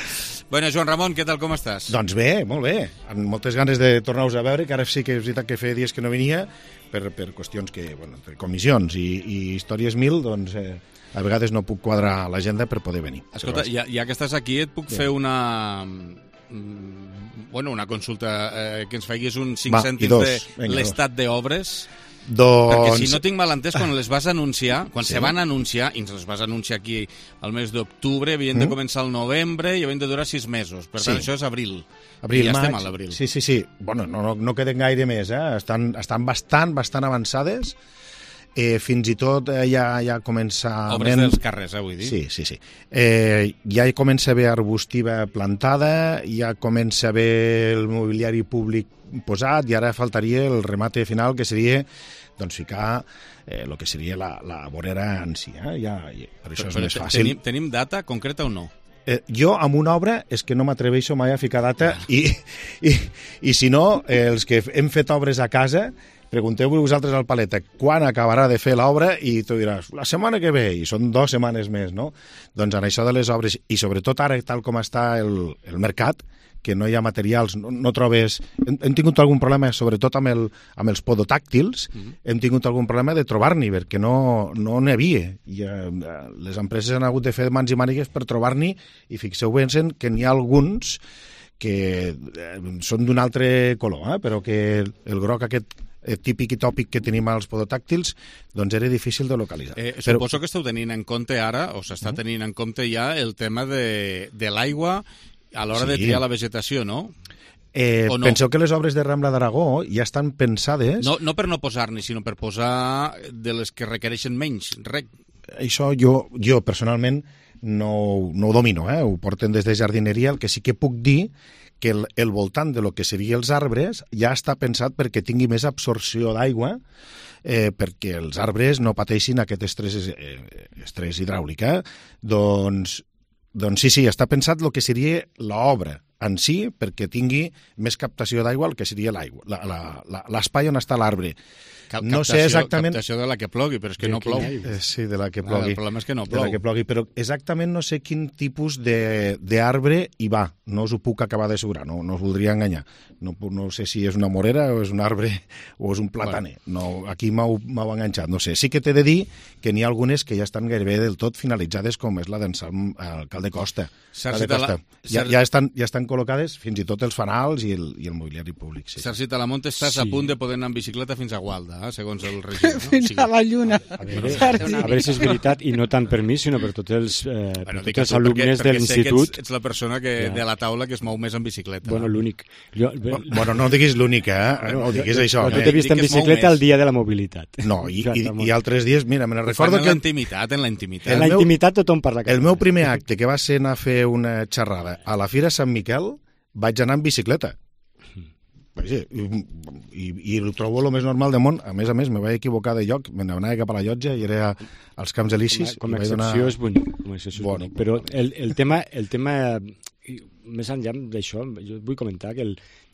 Bueno, Joan Ramon, què tal, com estàs? Doncs bé, molt bé. Amb moltes ganes de tornar-vos a veure, que ara sí que és veritat que feia dies que no venia, per, per qüestions que, bueno, entre comissions i, i històries mil, doncs... Eh, a vegades no puc quadrar l'agenda per poder venir. Escolta, ja, ja que estàs aquí, et puc sí. fer una... Bueno, una consulta, eh, que ens faiguis un cinc Va, cèntims dos. de l'estat d'obres. Doncs... Perquè si no tinc mal entès, quan les vas anunciar, quan sí. se van anunciar, i ens les vas anunciar aquí al mes d'octubre, havien mm. de començar al novembre i havien de durar sis mesos. Per tant, sí. això és abril. Abril, I ja maig. estem a l'abril. Sí, sí, sí. Bueno, no, no, no queden gaire més, eh? Estan, estan bastant, bastant avançades. Eh, fins i tot eh, ja, ja comença... Obres dels carrers, eh, vull dir. Sí, sí, sí. Eh, ja hi comença a haver arbustiva plantada, ja comença a haver el mobiliari públic posat, i ara faltaria el remate final, que seria doncs, ficar eh, el que seria la, la vorera en si. Eh? Ja, per això però, és més fàcil. Tenim, tenim data concreta o no? Eh, jo, amb una obra, és que no m'atreveixo mai a ficar data, i, i, i si no, eh, els que hem fet obres a casa... Pregunteu-vos vosaltres al Paleta quan acabarà de fer l'obra i tu diràs, la setmana que ve, i són dues setmanes més, no? Doncs en això de les obres, i sobretot ara, tal com està el, el mercat, que no hi ha materials, no, no trobes... Hem, hem tingut algun problema, sobretot amb, el, amb els podotàctils, mm-hmm. hem tingut algun problema de trobar-n'hi, perquè no no n'hi havia. I, eh, les empreses han hagut de fer mans i mànigues per trobar-n'hi, i fixeu-vos que n'hi ha alguns que eh, són d'un altre color, eh? Però que el groc aquest típic i tòpic que tenim als podotàctils, doncs era difícil de localitzar. Eh, suposo Però... que esteu tenint en compte ara, o s'està tenint en compte ja, el tema de, de l'aigua a l'hora sí. de triar la vegetació, no? Eh, no? Penseu que les obres de Rambla d'Aragó ja estan pensades... No, no per no posar-n'hi, sinó per posar de les que requereixen menys rec. Això jo, jo personalment no, no ho domino, eh? Ho porten des de jardineria. El que sí que puc dir que el, el voltant de lo que serien els arbres ja està pensat perquè tingui més absorció d'aigua, eh, perquè els arbres no pateixin aquest estrès, eh, estrès hidràulic. Eh? Doncs, doncs sí, sí, està pensat el que seria l'obra en si perquè tingui més captació d'aigua el que seria l'aigua, l'espai on està l'arbre. Cap, no captació, sé exactament... captació de la que plogui, però és que no plou. Eh, sí, de la que plogui. El problema és que no plou. De la que plogui, però exactament no sé quin tipus d'arbre hi va. No us ho puc acabar d'assegurar, no, no us voldria enganyar. No, no sé si és una morera o és un arbre o és un plataner. Bueno. No, aquí m'heu enganxat, no sé. Sí que t'he de dir que n'hi ha algunes que ja estan gairebé del tot finalitzades, com és la d'en Salm, alcalde Costa. Calde Costa. La... Ja, ja, estan, ja estan col·locades fins i tot els fanals i el, i el mobiliari públic. Sí. Sergi Talamont, estàs sí. a punt de poder anar en bicicleta fins a Gualda, eh, segons el regidor. No? Fins o sigui, a la lluna. A veure, a veure si és veritat, i no tant per mi, sinó per tots els, eh, bueno, per tots els alumnes perquè, de l'institut. Ets, ets la persona que, ja. de la taula que es mou més en bicicleta. Bueno, l'únic. Jo... Bueno, no diguis l'únic, eh? No diguis això. Jo t'he vist en bicicleta el dia de la mobilitat. No, i, i, i altres dies, mira, me'n recordo que... En la intimitat, en la intimitat. En la intimitat tothom parla. El meu primer acte, que va ser anar a fer una xerrada a la Fira Sant Miquel, vaig anar en bicicleta. I, i, i ho trobo el més normal del món. A més a més, me vaig equivocar de lloc, me n'anava cap a la llotja i era als Camps Elisis. Com a, com a excepció donar... és bonic, com a excepció bueno, és bonic. Però el, el tema, el tema més enllà d'això, jo vull comentar que el,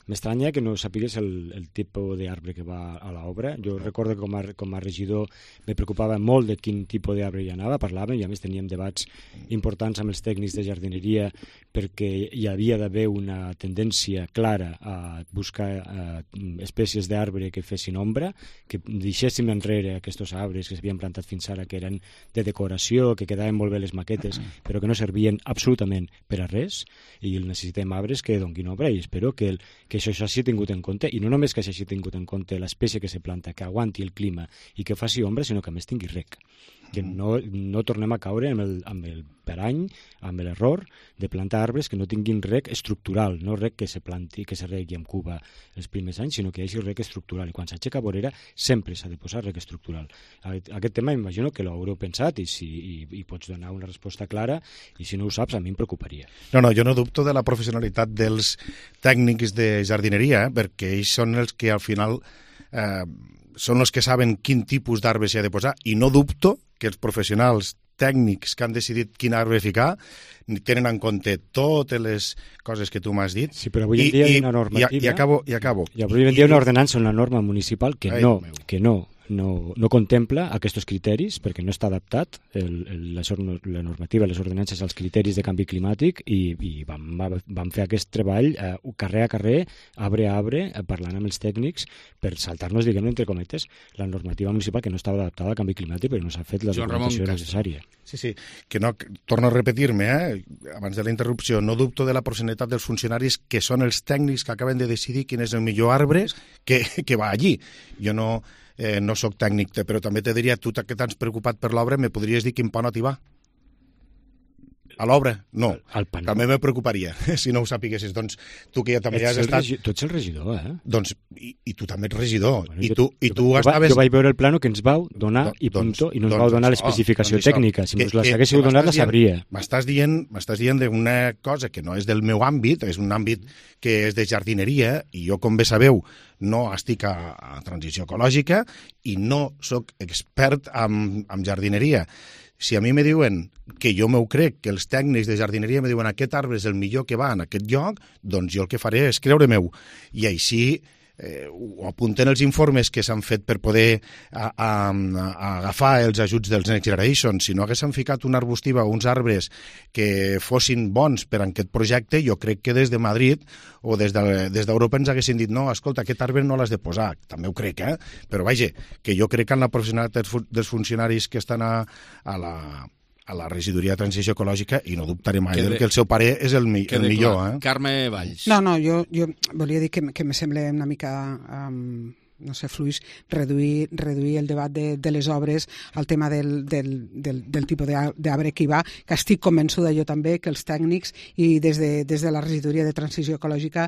m'estranya que no sapigués el, el tipus d'arbre que va a l'obra. Jo recordo que com a, com a regidor me preocupava molt de quin tipus d'arbre hi anava, parlàvem, i a més teníem debats importants amb els tècnics de jardineria perquè hi havia d'haver una tendència clara a buscar eh, espècies d'arbre que fessin ombra, que deixéssim enrere aquests arbres que s'havien plantat fins ara, que eren de decoració, que quedaven molt bé les maquetes, però que no servien absolutament per a res, i necessitem arbres que donguin ombra, i espero que, el, que això s'hagi tingut en compte, i no només que s'hagi tingut en compte l'espècie que se planta, que aguanti el clima i que faci ombra, sinó que a més tingui rec. que no, no tornem a caure amb el, amb el perany, amb l'error de plantar arbres que no tinguin rec estructural, no rec que se planti, que se regui amb cuba els primers anys, sinó que hi hagi rec estructural. I quan s'aixeca vorera sempre s'ha de posar rec estructural. Aquest tema imagino que l'haureu pensat i, si, i, i pots donar una resposta clara, i si no ho saps a mi em preocuparia. No, no, jo no dubto de la professionalitat dels tècnics de jardineria, eh, perquè ells són els que al final eh, són els que saben quin tipus d'arbre s'hi ha de posar, i no dubto que els professionals tècnics que han decidit quin arbre ficar tenen en compte totes les coses que tu m'has dit. Sí, però avui en dia hi ha una normativa... I, i acabo, i acabo. I avui en dia hi ha una ordenança, una norma municipal que no, que no, no, no contempla aquests criteris perquè no està adaptat el, el, la, la normativa, les ordenances als criteris de canvi climàtic, i, i vam, vam fer aquest treball eh, carrer a carrer, arbre a arbre, eh, parlant amb els tècnics per saltar-nos, diguem entre cometes, la normativa municipal que no estava adaptada al canvi climàtic perquè no s'ha fet la documentació necessària. Sí, sí, que no, torno a repetir-me, eh? abans de la interrupció, no dubto de la professionalitat dels funcionaris que són els tècnics que acaben de decidir quin és el millor arbre que, que va allí. Jo no... Eh, no sóc tècnic, però també te diria, tu que t'has preocupat per l'obra, me podries dir quin panot hi va? A l'obra? No. Al panot. També me preocuparia, si no ho sapiguessis. Doncs tu que ja també has estat... Regi... Tu ets el regidor, eh? Doncs, i, i tu també ets regidor. Bueno, I jo, tu, i jo, tu jo, estaves... Jo vaig veure el plano que ens vau donar i punto, doncs, i no ens doncs, vau donar l'especificació doncs, tècnica. Si ens la haguéssiu donat, la sabria. M'estàs dient, m'estàs dient d'una cosa que no és del meu àmbit, és un àmbit que és de jardineria, i jo, com bé sabeu, no estic a, a transició ecològica i no sóc expert en, en jardineria. Si a mi me diuen que jo m'ho crec, que els tècnics de jardineria me diuen aquest arbre és el millor que va en aquest lloc, doncs jo el que faré és creure meu. I així eh, ho apunten els informes que s'han fet per poder a, a, a agafar els ajuts dels Next Generation. Si no haguéssim ficat una arbustiva o uns arbres que fossin bons per a aquest projecte, jo crec que des de Madrid o des d'Europa de, ens haguessin dit no, escolta, aquest arbre no l'has de posar. També ho crec, eh? Però vaja, que jo crec que en la professionalitat dels funcionaris que estan a, a la... a la regidoria de transició ecològica, i no dubtaré mai que, de, que el seu pare és el, mi, el millor. Eh? Carme Valls. No, no, jo, jo volia dir que, que me sembla una mica... Um... no sé, fluix, reduir, reduir el debat de, de les obres al tema del, del, del, del tipus d'arbre que hi va, que estic convençuda jo també que els tècnics i des de, des de la regidoria de transició ecològica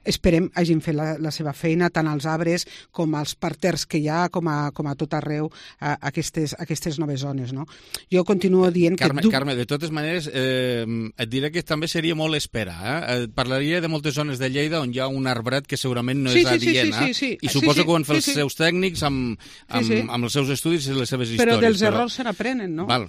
esperem hagin fet la, la seva feina, tant als arbres com als parters que hi ha, com a, com a tot arreu, a aquestes, aquestes noves zones. No? Jo continuo dient Carme, que... Du... Carme, de totes maneres, eh, et diré que també seria molt esperar. Eh? Parlaria de moltes zones de Lleida on hi ha un arbret que segurament no sí, és sí, adient, sí, sí, sí, sí. i suposo sí, sí. que ho han fet sí, sí. els seus tècnics amb, amb, sí, sí. amb els seus estudis i les seves històries. Però dels errors se n'aprenen, no? Val,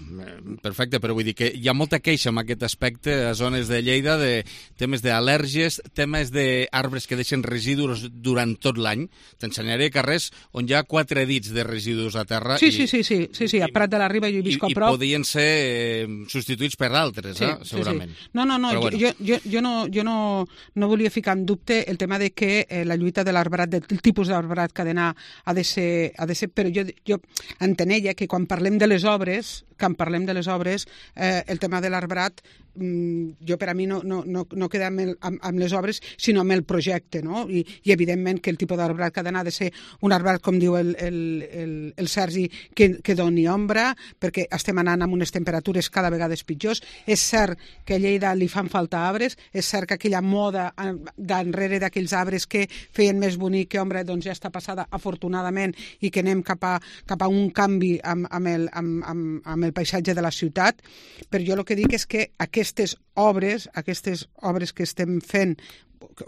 perfecte, però vull dir que hi ha molta queixa en aquest aspecte a zones de Lleida de temes d'al·lèrgies, temes d'arbres que deixen residus durant tot l'any. T'ensenyaré carrers on hi ha quatre dits de residus a terra. Sí, i, sí, sí, sí, sí, sí, a Prat de la Riba jo hi visc a prop. I podien ser eh, substituïts per altres, sí, eh, segurament. Sí, sí. No, no, no, bueno. jo, jo, jo, no, jo no, no volia ficar en dubte el tema de que eh, la lluita de l'arbrat, del tipus d'arbrat que ha d'anar ha de ser, ha de ser, però jo, jo entenella que quan parlem de les obres, quan parlem de les obres, eh, el tema de l'arbrat, mm, jo per a mi no, no, no, no queda amb, el, amb, amb les obres, sinó amb el projecte, no? I, i evidentment que el tipus d'arbrat que ha d'anar ha de ser un arbrat, com diu el, el, el, el Sergi, que, que doni ombra, perquè estem anant amb unes temperatures cada vegada pitjors. És cert que a Lleida li fan falta arbres, és cert que aquella moda d'enrere d'aquells arbres que feien més bonic que ombra, doncs ja està passada, afortunadament, i que anem cap a, cap a un canvi amb, amb, el, amb, amb, amb el paisatge de la ciutat. Però jo el que dic és que aquestes obres, aquestes obres que estem fent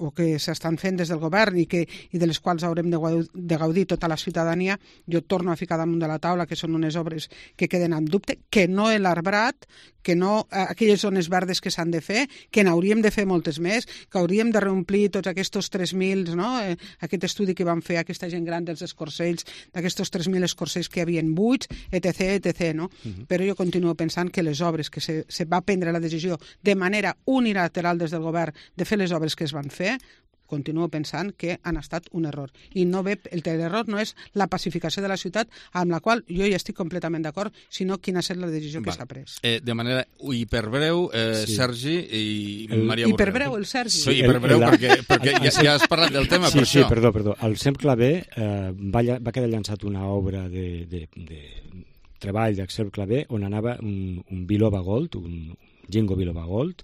o que s'estan fent des del govern i, que, i de les quals haurem de gaudir, de gaudir tota la ciutadania, jo torno a ficar damunt de la taula que són unes obres que queden en dubte, que no l'arbrat, que no aquelles zones verdes que s'han de fer, que n'hauríem de fer moltes més, que hauríem de reomplir tots aquests tres mil, no? eh, aquest estudi que van fer aquesta gent gran dels escorcells, d'aquests tres mil escorcells que hi havien buits, etc, etc, no? Uh-huh. Però jo continuo pensant que les obres que se, se va prendre la decisió de manera unilateral des del govern de fer les obres que es van fer, continuo pensant que han estat un error. I no ve, l'error no és la pacificació de la ciutat, amb la qual jo ja estic completament d'acord, sinó quina ha estat la decisió que s'ha pres. Eh, de manera hiperbreu, eh, sí. Sergi i el, Maria Borrell. Hiperbreu, el Sergi. Sí, hiperbreu, el, el, perquè, perquè ja, ja has parlat del tema, sí, per sí, això. Sí, perdó, perdó. Al S E M Clavé eh, va, va quedar llançat una obra de, de, de treball d'Axel Clavé on anava un, un biloba gold, un Ginkgo biloba gold,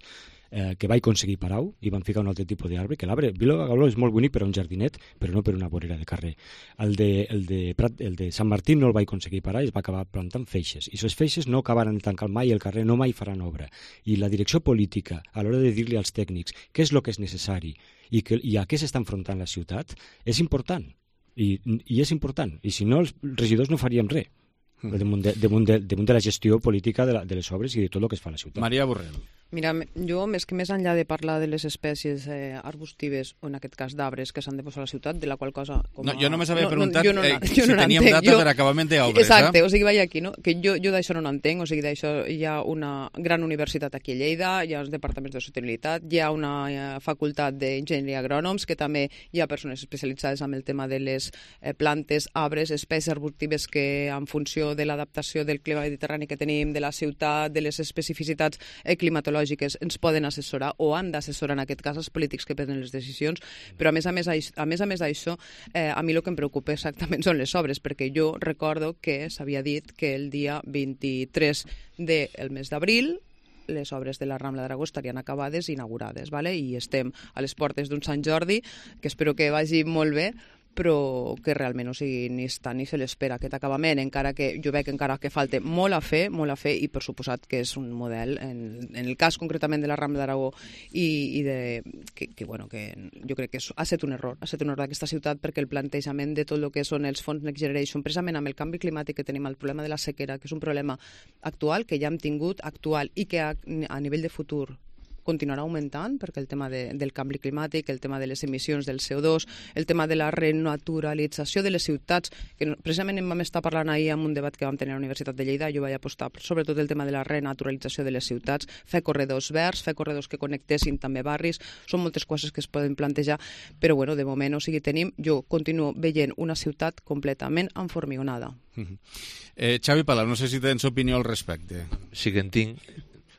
eh, que vaig aconseguir parar-ho i van ficar un altre tipus d'arbre, que l'arbre biloba gold és molt bonic per a un jardinet, però no per una vorera de carrer. El de, el de, Prat, el de Sant Martí no el vaig aconseguir parar i es va acabar plantant feixes. I aquestes feixes no acabaran de tancar mai el carrer, no mai faran obra. I la direcció política, a l'hora de dir-li als tècnics què és el que és necessari i, que, i a què s'està enfrontant la ciutat, és important. I, i és important. I si no, els regidors no faríem res. Mm. Damunt de, damunt de, damunt de la gestió política de, la, de les obres i de tot el que es fa a la ciutat. Maria Borrell. Mira, jo, més que més enllà de parlar de les espècies eh, arbustives, o en aquest cas d'arbres que s'han de posar a la ciutat, de la qual cosa... Com no, jo només havia no, preguntat no, no, eh, no, si no teníem entenc. data jo... per acabament d'obres. Exacte, eh? o sigui, vaig aquí, no? Que jo, jo d'això no n'entenc, o sigui, d'això hi ha una gran universitat aquí a Lleida, hi ha els departaments de sostenibilitat, hi ha una eh, facultat d'enginyeria agrònoms, que també hi ha persones especialitzades en el tema de les eh, plantes, arbres, espècies arbustives que en funció de l'adaptació del clima mediterrani que tenim, de la ciutat, de les especificitats eh, climatològiques, ens poden assessorar o han d'assessorar en aquest cas els polítics que prenen les decisions, però a més a més, a més, a més d'això, eh, a mi el que em preocupa exactament són les obres, perquè jo recordo que s'havia dit que el dia vint-i-tres del mes d'abril les obres de la Rambla d'Aragó estarien acabades i inaugurades, ¿vale? I estem a les portes d'un Sant Jordi, que espero que vagi molt bé, però que realment, o sigui, ni està ni se l'espera aquest acabament, encara que jo veig encara que falta molt a fer, molt a fer, i per suposat que és un model, en, en el cas concretament de la Rambla d'Aragó, i, i de, que, que, bueno, que jo crec que és, ha estat un error, ha estat un error d'aquesta ciutat, perquè el plantejament de tot el que són els fons Next Generation, precisament amb el canvi climàtic que tenim, el problema de la sequera, que és un problema actual, que ja hem tingut, actual, i que a, a nivell de futur continuarà augmentant, perquè el tema de, del canvi climàtic, el tema de les emissions del C O dos, el tema de la renaturalització de les ciutats, que precisament en vam estar parlant ahir en un debat que vam tenir a la Universitat de Lleida, jo vaig apostar sobretot el tema de la renaturalització de les ciutats, fer corredors verds, fer corredors que connectessin també barris, són moltes coses que es poden plantejar, però bueno, de moment, o sigui, tenim, jo continuo veient una ciutat completament enformigonada. Uh-huh. eh, Xavi Palau, no sé si tens opinió al respecte. Sí que en tinc.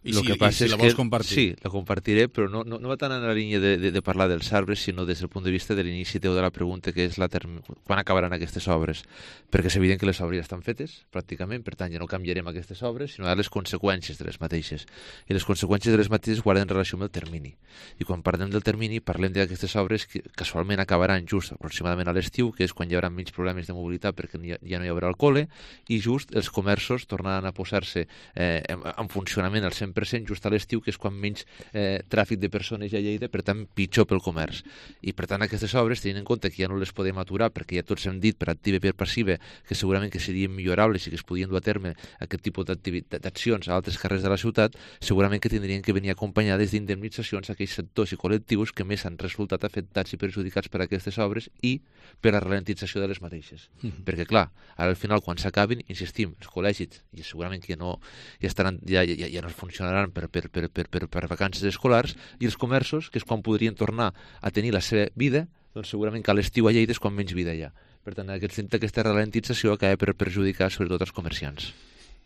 I lo si, que pasa i si es la vols que, compartir? Sí, la compartiré, però no, no, no va tant en la línia de, de, de parlar dels arbres, sinó des del punt de vista de l'inici teu de la pregunta, que és la term... quan acabaran aquestes obres. Perquè és evident que les obres ja estan fetes, pràcticament, per tant ja no canviarem aquestes obres, sinó les conseqüències de les mateixes. I les conseqüències de les mateixes guarden relació amb el termini. I quan parlem del termini, parlem d'aquestes obres que casualment acabaran just aproximadament a l'estiu, que és quan hi haurà menys problemes de mobilitat perquè ja no hi haurà el col·le, i just els comerços tornaran a posar-se eh, en, en funcionament al cent per cent just a l'estiu, que és quan menys eh, tràfic de persones hi ha a Lleida, per tant, pitjor pel comerç. I, per tant, aquestes obres, tenint en compte que ja no les podem aturar, perquè ja tots hem dit, per activa i per passiva, que segurament que serien millorables i que es podien dur a terme aquest tipus d'accions a altres carrers de la ciutat, segurament que tindrien que venir acompanyades d'indemnitzacions a aquells sectors i col·lectius que més han resultat afectats i perjudicats per aquestes obres i per la ralentització de les mateixes. Mm-hmm. Perquè, clar, ara al final, quan s'acabin, insistim, els col·legis, i segurament que no, ja, estaran, ja, ja, ja no funcionaran per, per, per, per, per, per vacances escolars, i els comerços, que és quan podrien tornar a tenir la seva vida, doncs segurament que a l'estiu a Lleida és quan menys vida hi ha. Per tant, aquest, aquesta ralentització acaba per perjudicar sobretot els comerciants.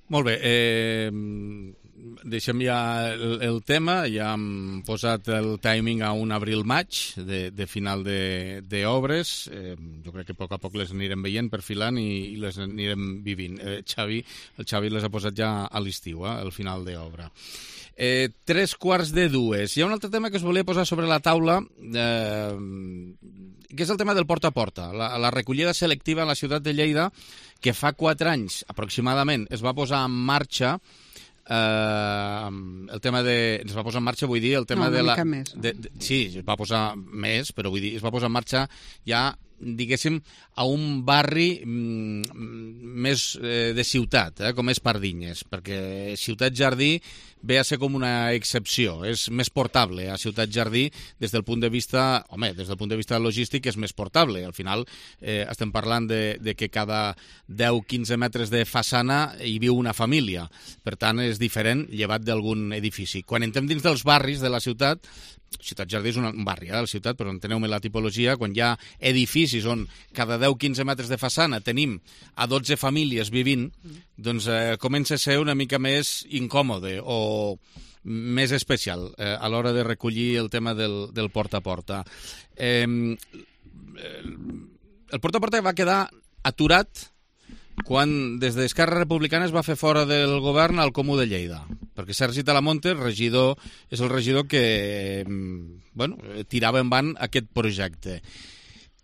Molt bé, eh, deixem ja el, el tema, ja hem posat el timing a un abril-maig de, de final d'obres, eh, jo crec que a poc a poc les anirem veient, perfilant i, i les anirem vivint. Eh, Xavi, el Xavi les ha posat ja a l'estiu, eh, al final d'obra. Eh, tres quarts de dues. Hi ha un altre tema que us volia posar sobre la taula, eh, que és el tema del porta a porta, la, la recollida selectiva a la ciutat de Lleida, que fa quatre anys aproximadament es va posar en marxa. Uh, el tema de... Es va posar en marxa, vull dir, el tema no, de la... Més, no? de, de, sí, es va posar més, però vull dir, es va posar en marxa ja, diguéssim, a un barri mm, més eh, de ciutat, eh, com és Pardinyes, perquè Ciutat Jardí ve a ser com una excepció, és més portable a Ciutat Jardí des del punt de vista, home, des del punt de vista logístic és més portable, al final eh, estem parlant de, de que cada deu a quinze metres de façana hi viu una família, per tant és diferent llevat d'algun edifici. Quan entrem dins dels barris de la ciutat, Ciutat Jardí és un barri, eh, de la ciutat, però enteneu-me la tipologia, quan hi ha edificis on cada deu a quinze metres de façana tenim a dotze famílies vivint, doncs eh, comença a ser una mica més incòmode o més especial eh, a l'hora de recollir el tema del, del porta a porta. Eh, el porta a porta va quedar aturat quan des d'Esquerra Republicana es va fer fora del govern al Comú de Lleida, perquè Sergi Talamonte, regidor, és el regidor que bueno, tirava en van aquest projecte.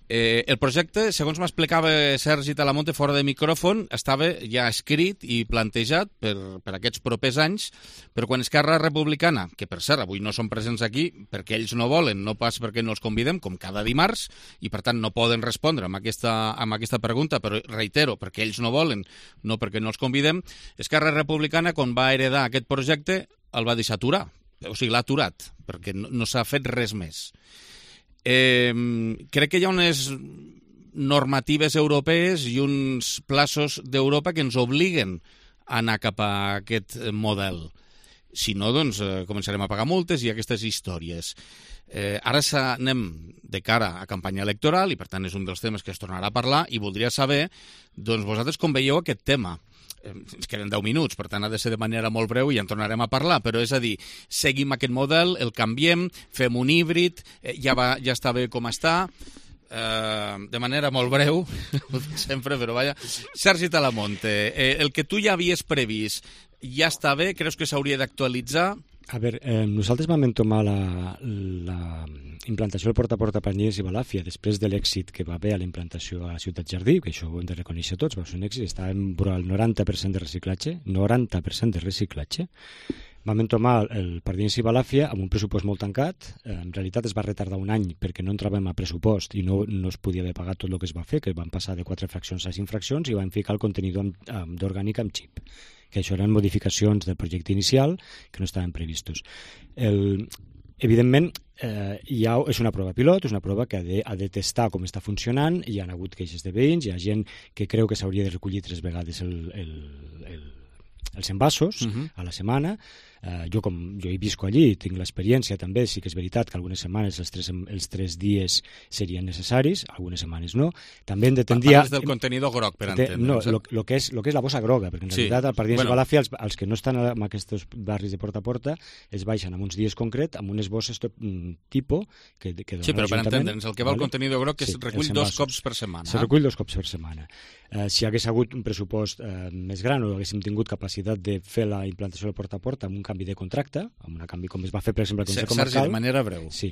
Eh, el projecte, segons m'explicava Sergi Talamonte fora de micròfon, estava ja escrit i plantejat per, per aquests propers anys, però quan Esquerra Republicana, que per cert avui no són presents aquí perquè ells no volen, no pas perquè no els convidem, com cada dimarts, i per tant no poden respondre amb aquesta, amb aquesta pregunta, però reitero, perquè ells no volen, no perquè no els convidem, Esquerra Republicana, quan va heredar aquest projecte, el va deixar aturar, o sigui, l'ha aturat, perquè no, no s'ha fet res més. Eh, crec que hi ha unes normatives europees i uns plaços d'Europa que ens obliguen a anar cap a aquest model. Si no, doncs, eh, començarem a pagar multes i aquestes històries. Eh, ara anem de cara a campanya electoral i, per tant, és un dels temes que es tornarà a parlar i voldria saber, doncs, vosaltres com veieu aquest tema. Ens queden deu minuts, per tant ha de ser de manera molt breu i ja en tornarem a parlar, però és a dir, seguim aquest model, el canviem, fem un híbrid, eh, ja, va, ja està bé com està, eh, de manera molt breu, sempre, però vaja. Sergi Talamonte, eh, el que tu ja havies previst ja està bé? Creus que s'hauria d'actualitzar? A veure, eh, nosaltres vam entomar la, la implantació del porta a porta per Llers i Balàfia després de l'èxit que va haver a la implantació a la Ciutat Jardí, que això ho hem de reconèixer tots, va ser un èxit, estàvem al noranta per cent de reciclatge, noranta per cent de reciclatge. Vam entomar el per Llers i Balàfia amb un pressupost molt tancat, en realitat es va retardar un any perquè no entràvem a pressupost i no, no es podia haver pagat tot el que es va fer, que van passar de quatre fraccions a cinc fraccions i van ficar el contenidor d'orgànic amb xip, que això eren modificacions del projecte inicial que no estaven previstos. El, evidentment, eh, hi ha, és una prova pilot, és una prova que ha de, ha de testar com està funcionant, hi ha hagut queixes de veïns, hi ha gent que creu que s'hauria de recollir tres vegades el, el, el, els envasos uh-huh. a la setmana. Uh, jo, com jo hi visco allí, tinc l'experiència també, sí que és veritat que algunes setmanes els tres, els tres dies serien necessaris, algunes setmanes no. També hem de tendir... Parles del contenidor groc, per entendre. No, el que, que, és, lo que és la bossa groga, perquè en sí. realitat al Pardines bueno. i Balàfia, els, els que no estan en aquests barris de porta a porta, es baixen en uns dies concret, amb unes bosses tipus que, que dona sí, però per entendre'ns, el que va vale? el contenidor groc que sí, es recull dos cops per setmana. Se recull dos cops per setmana. Uh, si hagués hagut un pressupost uh, més gran o haguéssim tingut capacitat de fer la implantació del porta a porta amb un canvi de contracte, amb un canvi com es va fer, per exemple, al Consell Comarcal. Sergi, de manera breu. Sí.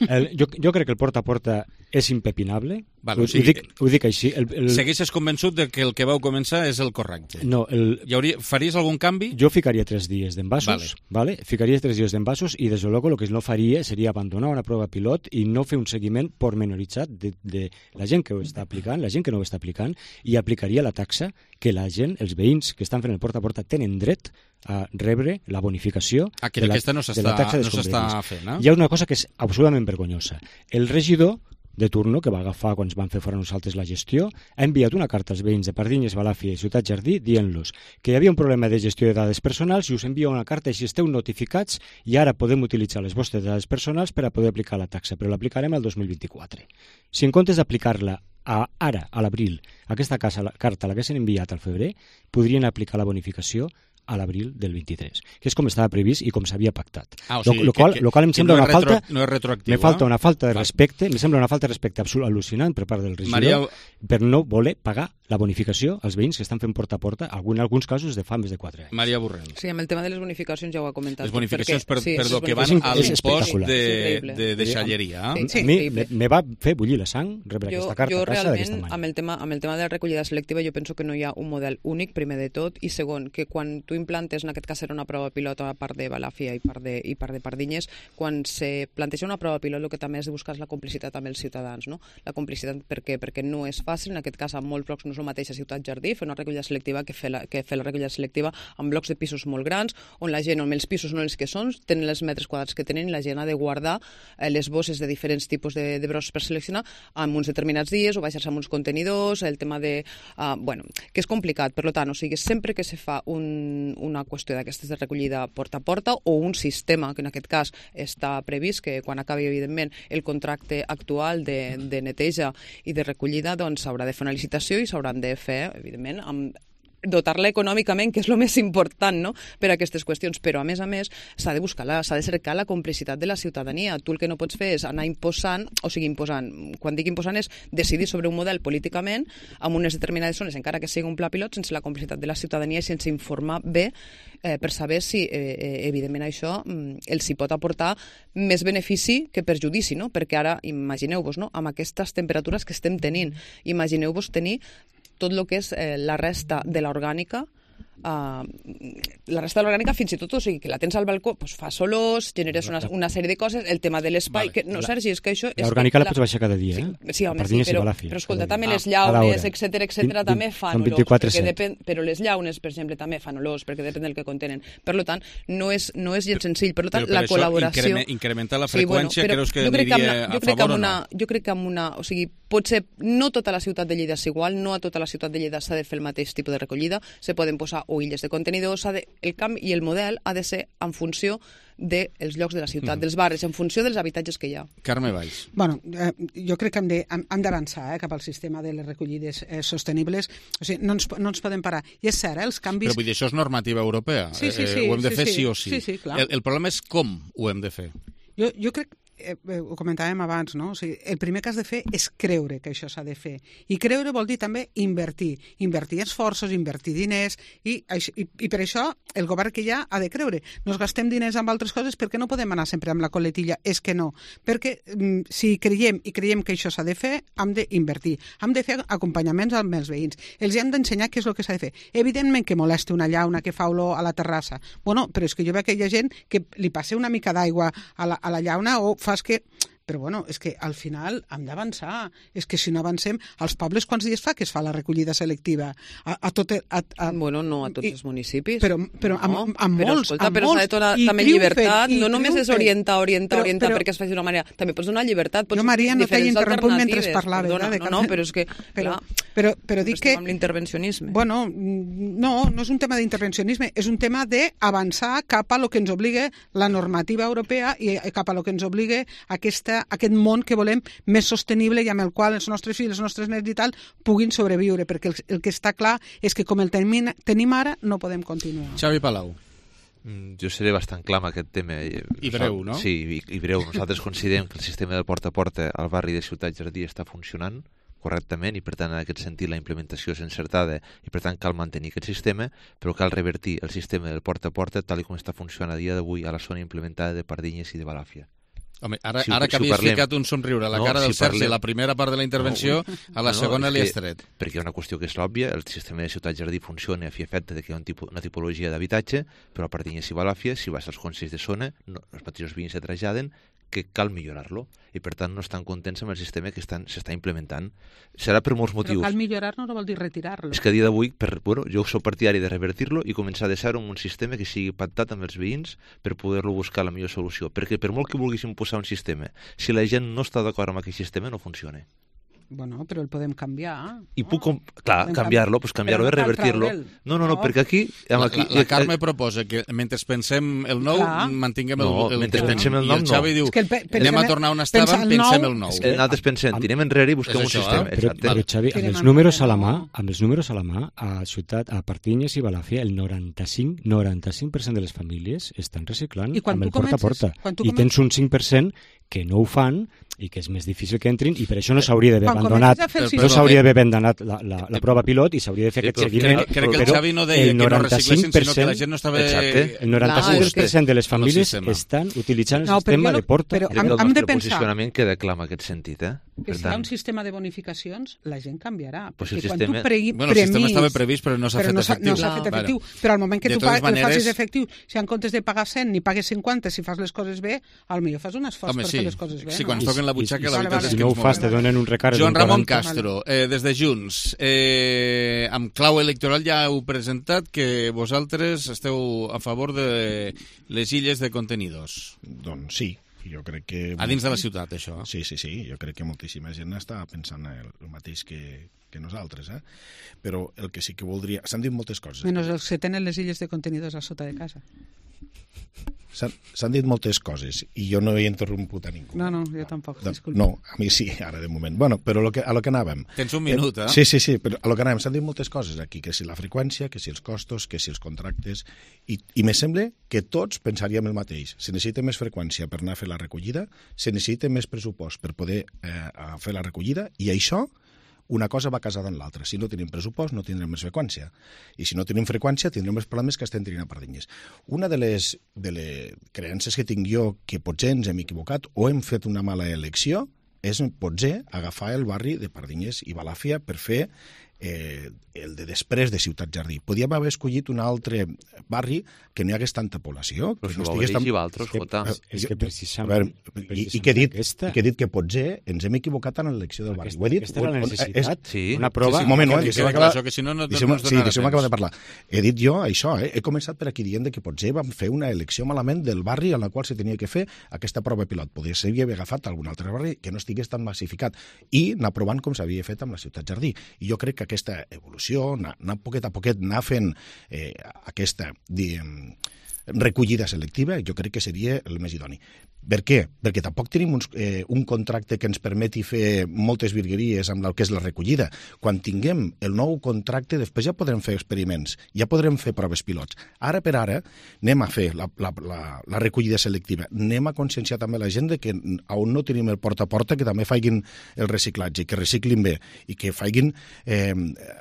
El, jo, jo crec que el porta a porta és impepinable. Vale, ho, o sigui, ho, dic, ho dic així. El, el... Segueixes convençut de que el que vau començar és el correcte. No. El... Hi hauria, faries algun canvi? Jo ficaria tres dies d'envasos, vale. vale? Ficaria tres dies d'envasos i, des de luego, el que no faria seria abandonar una prova pilot i no fer un seguiment pormenoritzat de, de la gent que ho està aplicant, la gent que no ho està aplicant, i aplicaria la taxa que la gent, els veïns que estan fent el porta a porta, tenen dret a rebre la bonificació ah, que de, la, no de la taxa no s'està fent. Eh? Hi ha una cosa que és absolutament vergonyosa. El regidor de turno, que va agafar quan ens van fer fora nosaltres la gestió, ha enviat una carta als veïns de Pardines, Balàfia i Ciutat Jardí dient-los que hi havia un problema de gestió de dades personals i us envia una carta i si esteu notificats i ara podem utilitzar les vostres dades personals per a poder aplicar la taxa, però l'aplicarem el dos mil vint-i-quatre. Si en comptes d'aplicar-la a, ara, a l'abril, aquesta casa, la carta l'haguessin enviat al febrer, podrien aplicar la bonificació a l'abril del vint-i-tres, que és com estava previst i com s'havia pactat. Ah, o sigui, lo, lo, qual, que, lo qual em sembla no una retro, falta... No és retroactiu, me falta eh? una falta de respecte, me sembla una falta de respecte absolut al·lucinant per part del regidor Maria... per no voler pagar la bonificació als veïns que estan fent porta a porta, en alguns casos de fa més de quatre anys. Maria Borrell. Sí, amb el tema de les bonificacions ja ho ha comentat. Les bonificacions, perquè, per, sí, perdó, que van a l'impost de, de, de deixalleria. Sí, sí, a mi me, me va fer bullir la sang rebre jo, aquesta carta jo a casa d'aquesta realment, manera. amb el, tema, amb el tema de la recollida selectiva, jo penso que no hi ha un model únic, primer de tot, i segon, que quan tu implantes, en aquest cas era una prova pilot a part de Balàfia i part de, i part de Pardinyes, quan se planteja una prova pilot, el que també has de buscar és la complicitat amb els ciutadans, no? La complicitat per què? Perquè no és fàcil, en aquest cas amb molts blocs no és el mateix a Ciutat Jardí, fer una recollida selectiva que fer la, que fer la recollida selectiva amb blocs de pisos molt grans, on la gent, on els pisos no els que són, tenen els metres quadrats que tenen i la gent ha de guardar eh, les bosses de diferents tipus de, de brots per seleccionar amb uns determinats dies o baixar-se amb uns contenidors, el tema de... Uh, bueno, que és complicat, per tant, o sigui, sempre que se fa un, una qüestió d'aquestes de recollida porta a porta o un sistema, que en aquest cas està previst que quan acabi, evidentment, el contracte actual de, de neteja i de recollida, doncs s'haurà de fer una licitació i s'hauran de fer, evidentment, amb dotar-la econòmicament, que és el més important, no?, per a aquestes qüestions. Però, a més a més, s'ha de buscar, la, s'ha de cercar la complicitat de la ciutadania. Tu el que no pots fer és anar imposant, o sigui, imposant, quan dic imposant és decidir sobre un model políticament amb unes determinades zones, encara que sigui un pla pilot, sense la complicitat de la ciutadania i sense informar bé eh, per saber si, eh, evidentment, això mm, els hi pot aportar més benefici que perjudici, no? Perquè ara, imagineu-vos, no?, amb aquestes temperatures que estem tenint, imagineu-vos tenir tot el que és eh, la resta de l'orgànica, Uh, la resta de l'orgànica fins i tot, o sigui, que la tens al balcó, pues, fa olors, generes una, una sèrie de coses, el tema de l'espai, vale. que no, Sergi, és que això... L'orgànica la pots baixar cada dia, eh? Sí, home, sí, però, però escolta, també les llaunes, etcètera, etcètera, també fan olors, perquè depèn, però les llaunes, per exemple, també fan olors, perquè depèn del que contenen. Per tant, no és, no és gens senzill. Per tant, la col·laboració... Increme, incrementar la freqüència, sí, bueno, creus que aniria a favor o no? Jo crec que amb una... O sigui, potser no tota la ciutat de Lleida és igual, no a tota la ciutat de Lleida s'ha de fer el mateix tipus de recollida, se poden posar o illes de contenidors, de, el camp i el model ha de ser en funció dels llocs de la ciutat, mm. dels barris, en funció dels habitatges que hi ha. Carme Valls. Bueno, eh, jo crec que hem, de, hem d'avançar eh, cap al sistema de les recollides eh, sostenibles. O sigui, no ens, no ens podem parar. I és cert, eh, els canvis... Però vull dir, això és normativa europea. Sí, sí, sí. Eh, ho hem de sí, fer sí, sí o sí. sí, sí clar. El, el problema és com ho hem de fer. Jo, jo crec Eh, ho comentàvem abans, no? O sigui, el primer que has de fer és creure que això s'ha de fer. I creure vol dir també invertir. Invertir esforços, invertir diners, i, i, i per això el govern que hi ha ha de creure. Nos gastem diners amb altres coses perquè no podem anar sempre amb la coletilla. És que no. Perquè mm, si creiem i creiem que això s'ha de fer, hem d'invertir. Hem de fer acompanyaments amb els veïns. Els hem d'ensenyar què és el que s'ha de fer. Evidentment que molesta una llauna que fa olor a la terrassa. Bueno, però és que jo veig que hi ha gent que li passa una mica d'aigua a la, a la llauna o fa que... Però bueno, és que al final hem d'avançar. És que si no avancem, als pobles quants dies fa que es fa la recollida selectiva? A, a tot el, a, a... Bueno, no a tots I, els municipis. Però, però no, amb, amb però, molts, escolta, amb però molts. s'ha de donar també llibertat. No només és orientar, orientar, però, orientar però, perquè es faci d'una manera. També pots donar llibertat. Pots jo, Maria, no t'he interromput mentre parlava. Perdona, de no, no, però és que... Però, però, però dic que... amb l'intervencionisme. Bueno, no, no és un tema d'intervencionisme, és un tema d'avançar cap a lo que ens obliga la normativa europea i cap a lo que ens obliga aquesta, aquest món que volem més sostenible i amb el qual els nostres fills, els nostres nets i tal puguin sobreviure, perquè el, el que està clar és que com el tenim, tenim ara no podem continuar. Xavi Palau. Mm, jo seré bastant clar amb aquest tema. I breu, no? Sí, i, i breu. Nosaltres considerem que el sistema de porta a porta al barri de Ciutat Jardí està funcionant correctament i per tant en aquest sentit la implementació és encertada i per tant cal mantenir aquest sistema, però cal revertir el sistema del porta a porta tal com està funcionant a dia d'avui a la zona implementada de Pardinyes i de Balàfia. Home, ara, si, ara que si havies parlem... ficat un somriure a la no, cara del si Sergi, parlem... la primera part de la intervenció, no, a la no, segona no, li has tret. Perquè hi ha una qüestió que és òbvia, el sistema de Ciutat Jardí funciona a fi efecte de que hi ha un tipus, una tipologia d'habitatge, però a Pardinyes i Balàfia, si vas als consells de zona, no, els mateixos veïns se traslladen que cal millorar-lo i per tant no estan contents amb el sistema que s'està implementant. Serà per molts motius. Però cal millorar-lo no vol dir retirar-lo. És que a dia d'avui, bueno, jo soc partidari de revertir-lo i començar de zero amb un sistema que sigui pactat amb els veïns per poder-lo buscar la millor solució. Perquè per molt que vulguéssim posar un sistema, si la gent no està d'acord amb aquell sistema, no funciona. Bueno, però el podem canviar. I puc, com... clar, canviar-lo, doncs canviar-lo és revertir-lo. No, no, no, perquè aquí... aquí la, la Carme proposa que mentre pensem el nou, clar. mantinguem el, no, el, el mentre pensem el nou, no. I el Xavi diu, el pe anem a tornar on estàvem, pensem el nou. És que nosaltres pensem, tirem enrere i busquem un sistema. Eh? Però, però Xavi, amb els números a la mà, amb els números a la mà, a Ciutat, a Pardinyes i Balàfia, el noranta-cinc per cent de les famílies estan reciclant amb el porta a porta. I tens un cinc per cent que no ho fan i que és més difícil que entrin i per això no s'hauria d'haver abandonat no s'hauria d'haver abandonat la, la, la prova pilot i s'hauria de fer sí, aquest seguiment. Crec, crec que el Xavi no deia que no reciclessin, sinó que la gent no estava... Exacte. El noranta-cinc per cent de les famílies estan utilitzant el no, sistema jo, de porta. Però hem, hem, hem de pensar... El posicionament queda clar en aquest sentit, eh? Que si hi ha un sistema de bonificacions, la gent canviarà. Pues perquè el quan sistema... tu premis... Bueno, el sistema estava previst, però no s'ha fet efectiu. No s'ha fet efectiu. Però al moment que de tu fa, maneres... el facis efectiu, si en comptes de pagar cent, ni pagues cinquanta, si fas les coses bé, potser fas un esforç Home, per sí. fer les coses bé. Sí, quan es toquen la butxaca, la veritat és si que no ho fas, te donen un recàrrec. Joan Ramon Castro, eh, des de Junts, eh, amb clau electoral ja heu presentat que vosaltres esteu a favor de les illes de contenidors. Doncs sí. Jo crec que... A dins de la ciutat, això. Sí, sí, sí. Jo crec que moltíssima gent està pensant el, el mateix que, que nosaltres, eh? Però el que sí que voldria... S'han dit moltes coses. Menys els que tenen les illes de contenidors a sota de casa. s'han dit moltes coses i jo no he interromput a ningú. No, no, jo tampoc, disculpa. No, a mi sí, ara de moment. Bueno, però lo que, a lo que anàvem... Tens un minut, eh? Sí, sí, sí, però a lo que anàvem s'han dit moltes coses aquí, que si la freqüència, que si els costos, que si els contractes, i, i me sembla que tots pensaríem el mateix. Se necessita més freqüència per anar a fer la recollida, se necessita més pressupost per poder eh, fer la recollida, i això una cosa va casada en l'altra. Si no tenim pressupost, no tindrem més freqüència. I si no tenim freqüència, tindrem els problemes que estem tenint a Pardinyes. Una de les, de les creences que tinc jo, que potser ens hem equivocat o hem fet una mala elecció, és potser agafar el barri de Pardinyes i Balàfia per fer eh, el de després de Ciutat Jardí. Podíem haver escollit un altre barri que no hi hagués tanta població. Però que si no ho tan... i Valtros, Jota. És que precisament... Veure, i, i, que he dit, i que he dit que potser ens hem equivocat en l'elecció del barri. Aquesta, ho he dit, aquesta era la necessitat? És, sí. Una prova... Sí, sí, un moment, que, deixeu-me acabar... acabar... que si no, no, deixeu-me, no sí, deixeu-me acabar de parlar. He dit jo això, eh? He començat per aquí dient que potser vam fer una elecció malament del barri en la qual se tenia que fer aquesta prova pilot. Podria ser haver agafat algun altre barri que no estigués tan massificat i anar provant com s'havia fet amb la Ciutat Jardí. I jo crec que aquesta evolució, anar, anar poquet a poquet, anar fent eh, aquesta diguem, recollida selectiva, jo crec que seria el més idoni. Per què? Perquè tampoc tenim uns, eh, un contracte que ens permeti fer moltes virgueries amb el que és la recollida. Quan tinguem el nou contracte, després ja podrem fer experiments, ja podrem fer proves pilots. Ara per ara anem a fer la, la, la, la recollida selectiva, anem a conscienciar també la gent de que on no tenim el porta a porta, que també facin el reciclatge, que reciclin bé i que facin, eh,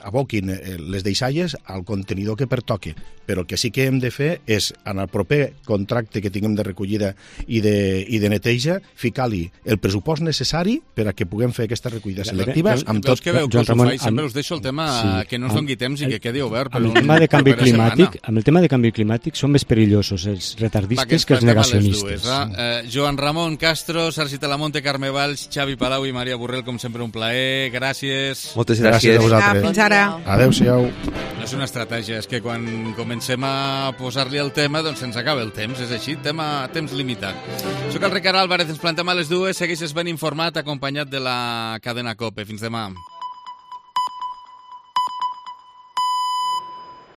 aboquin les deixalles al contenidor que pertoque. Però el que sí que hem de fer és, en el proper contracte que tinguem de recollida i de i de neteja, ficar-li el pressupost necessari per a que puguem fer aquesta recollida selectiva amb tot... Veus que veu que us ho faig, sempre us deixo el tema sí, que no ens doni temps i que quedi obert per amb el un, tema de canvi per climàtic, amb el tema de canvi climàtic són més perillosos els retardistes que, que els negacionistes. Dues, eh, Joan Ramon Castro, Sergi Talamonte, Carme Valls, Xavi Palau i Maria Borrell, com sempre un plaer, gràcies. Moltes gràcies, gràcies a vosaltres. Fins ara. Adéu-siau. No és una estratègia, és que quan comencem a posar-li el tema, doncs se'ns acaba el temps, és així, tema temps limitat. Soc el Ricard Álvarez, ens plantem a les dues, segueixes ben informat, acompanyat de la cadena COPE. Fins demà.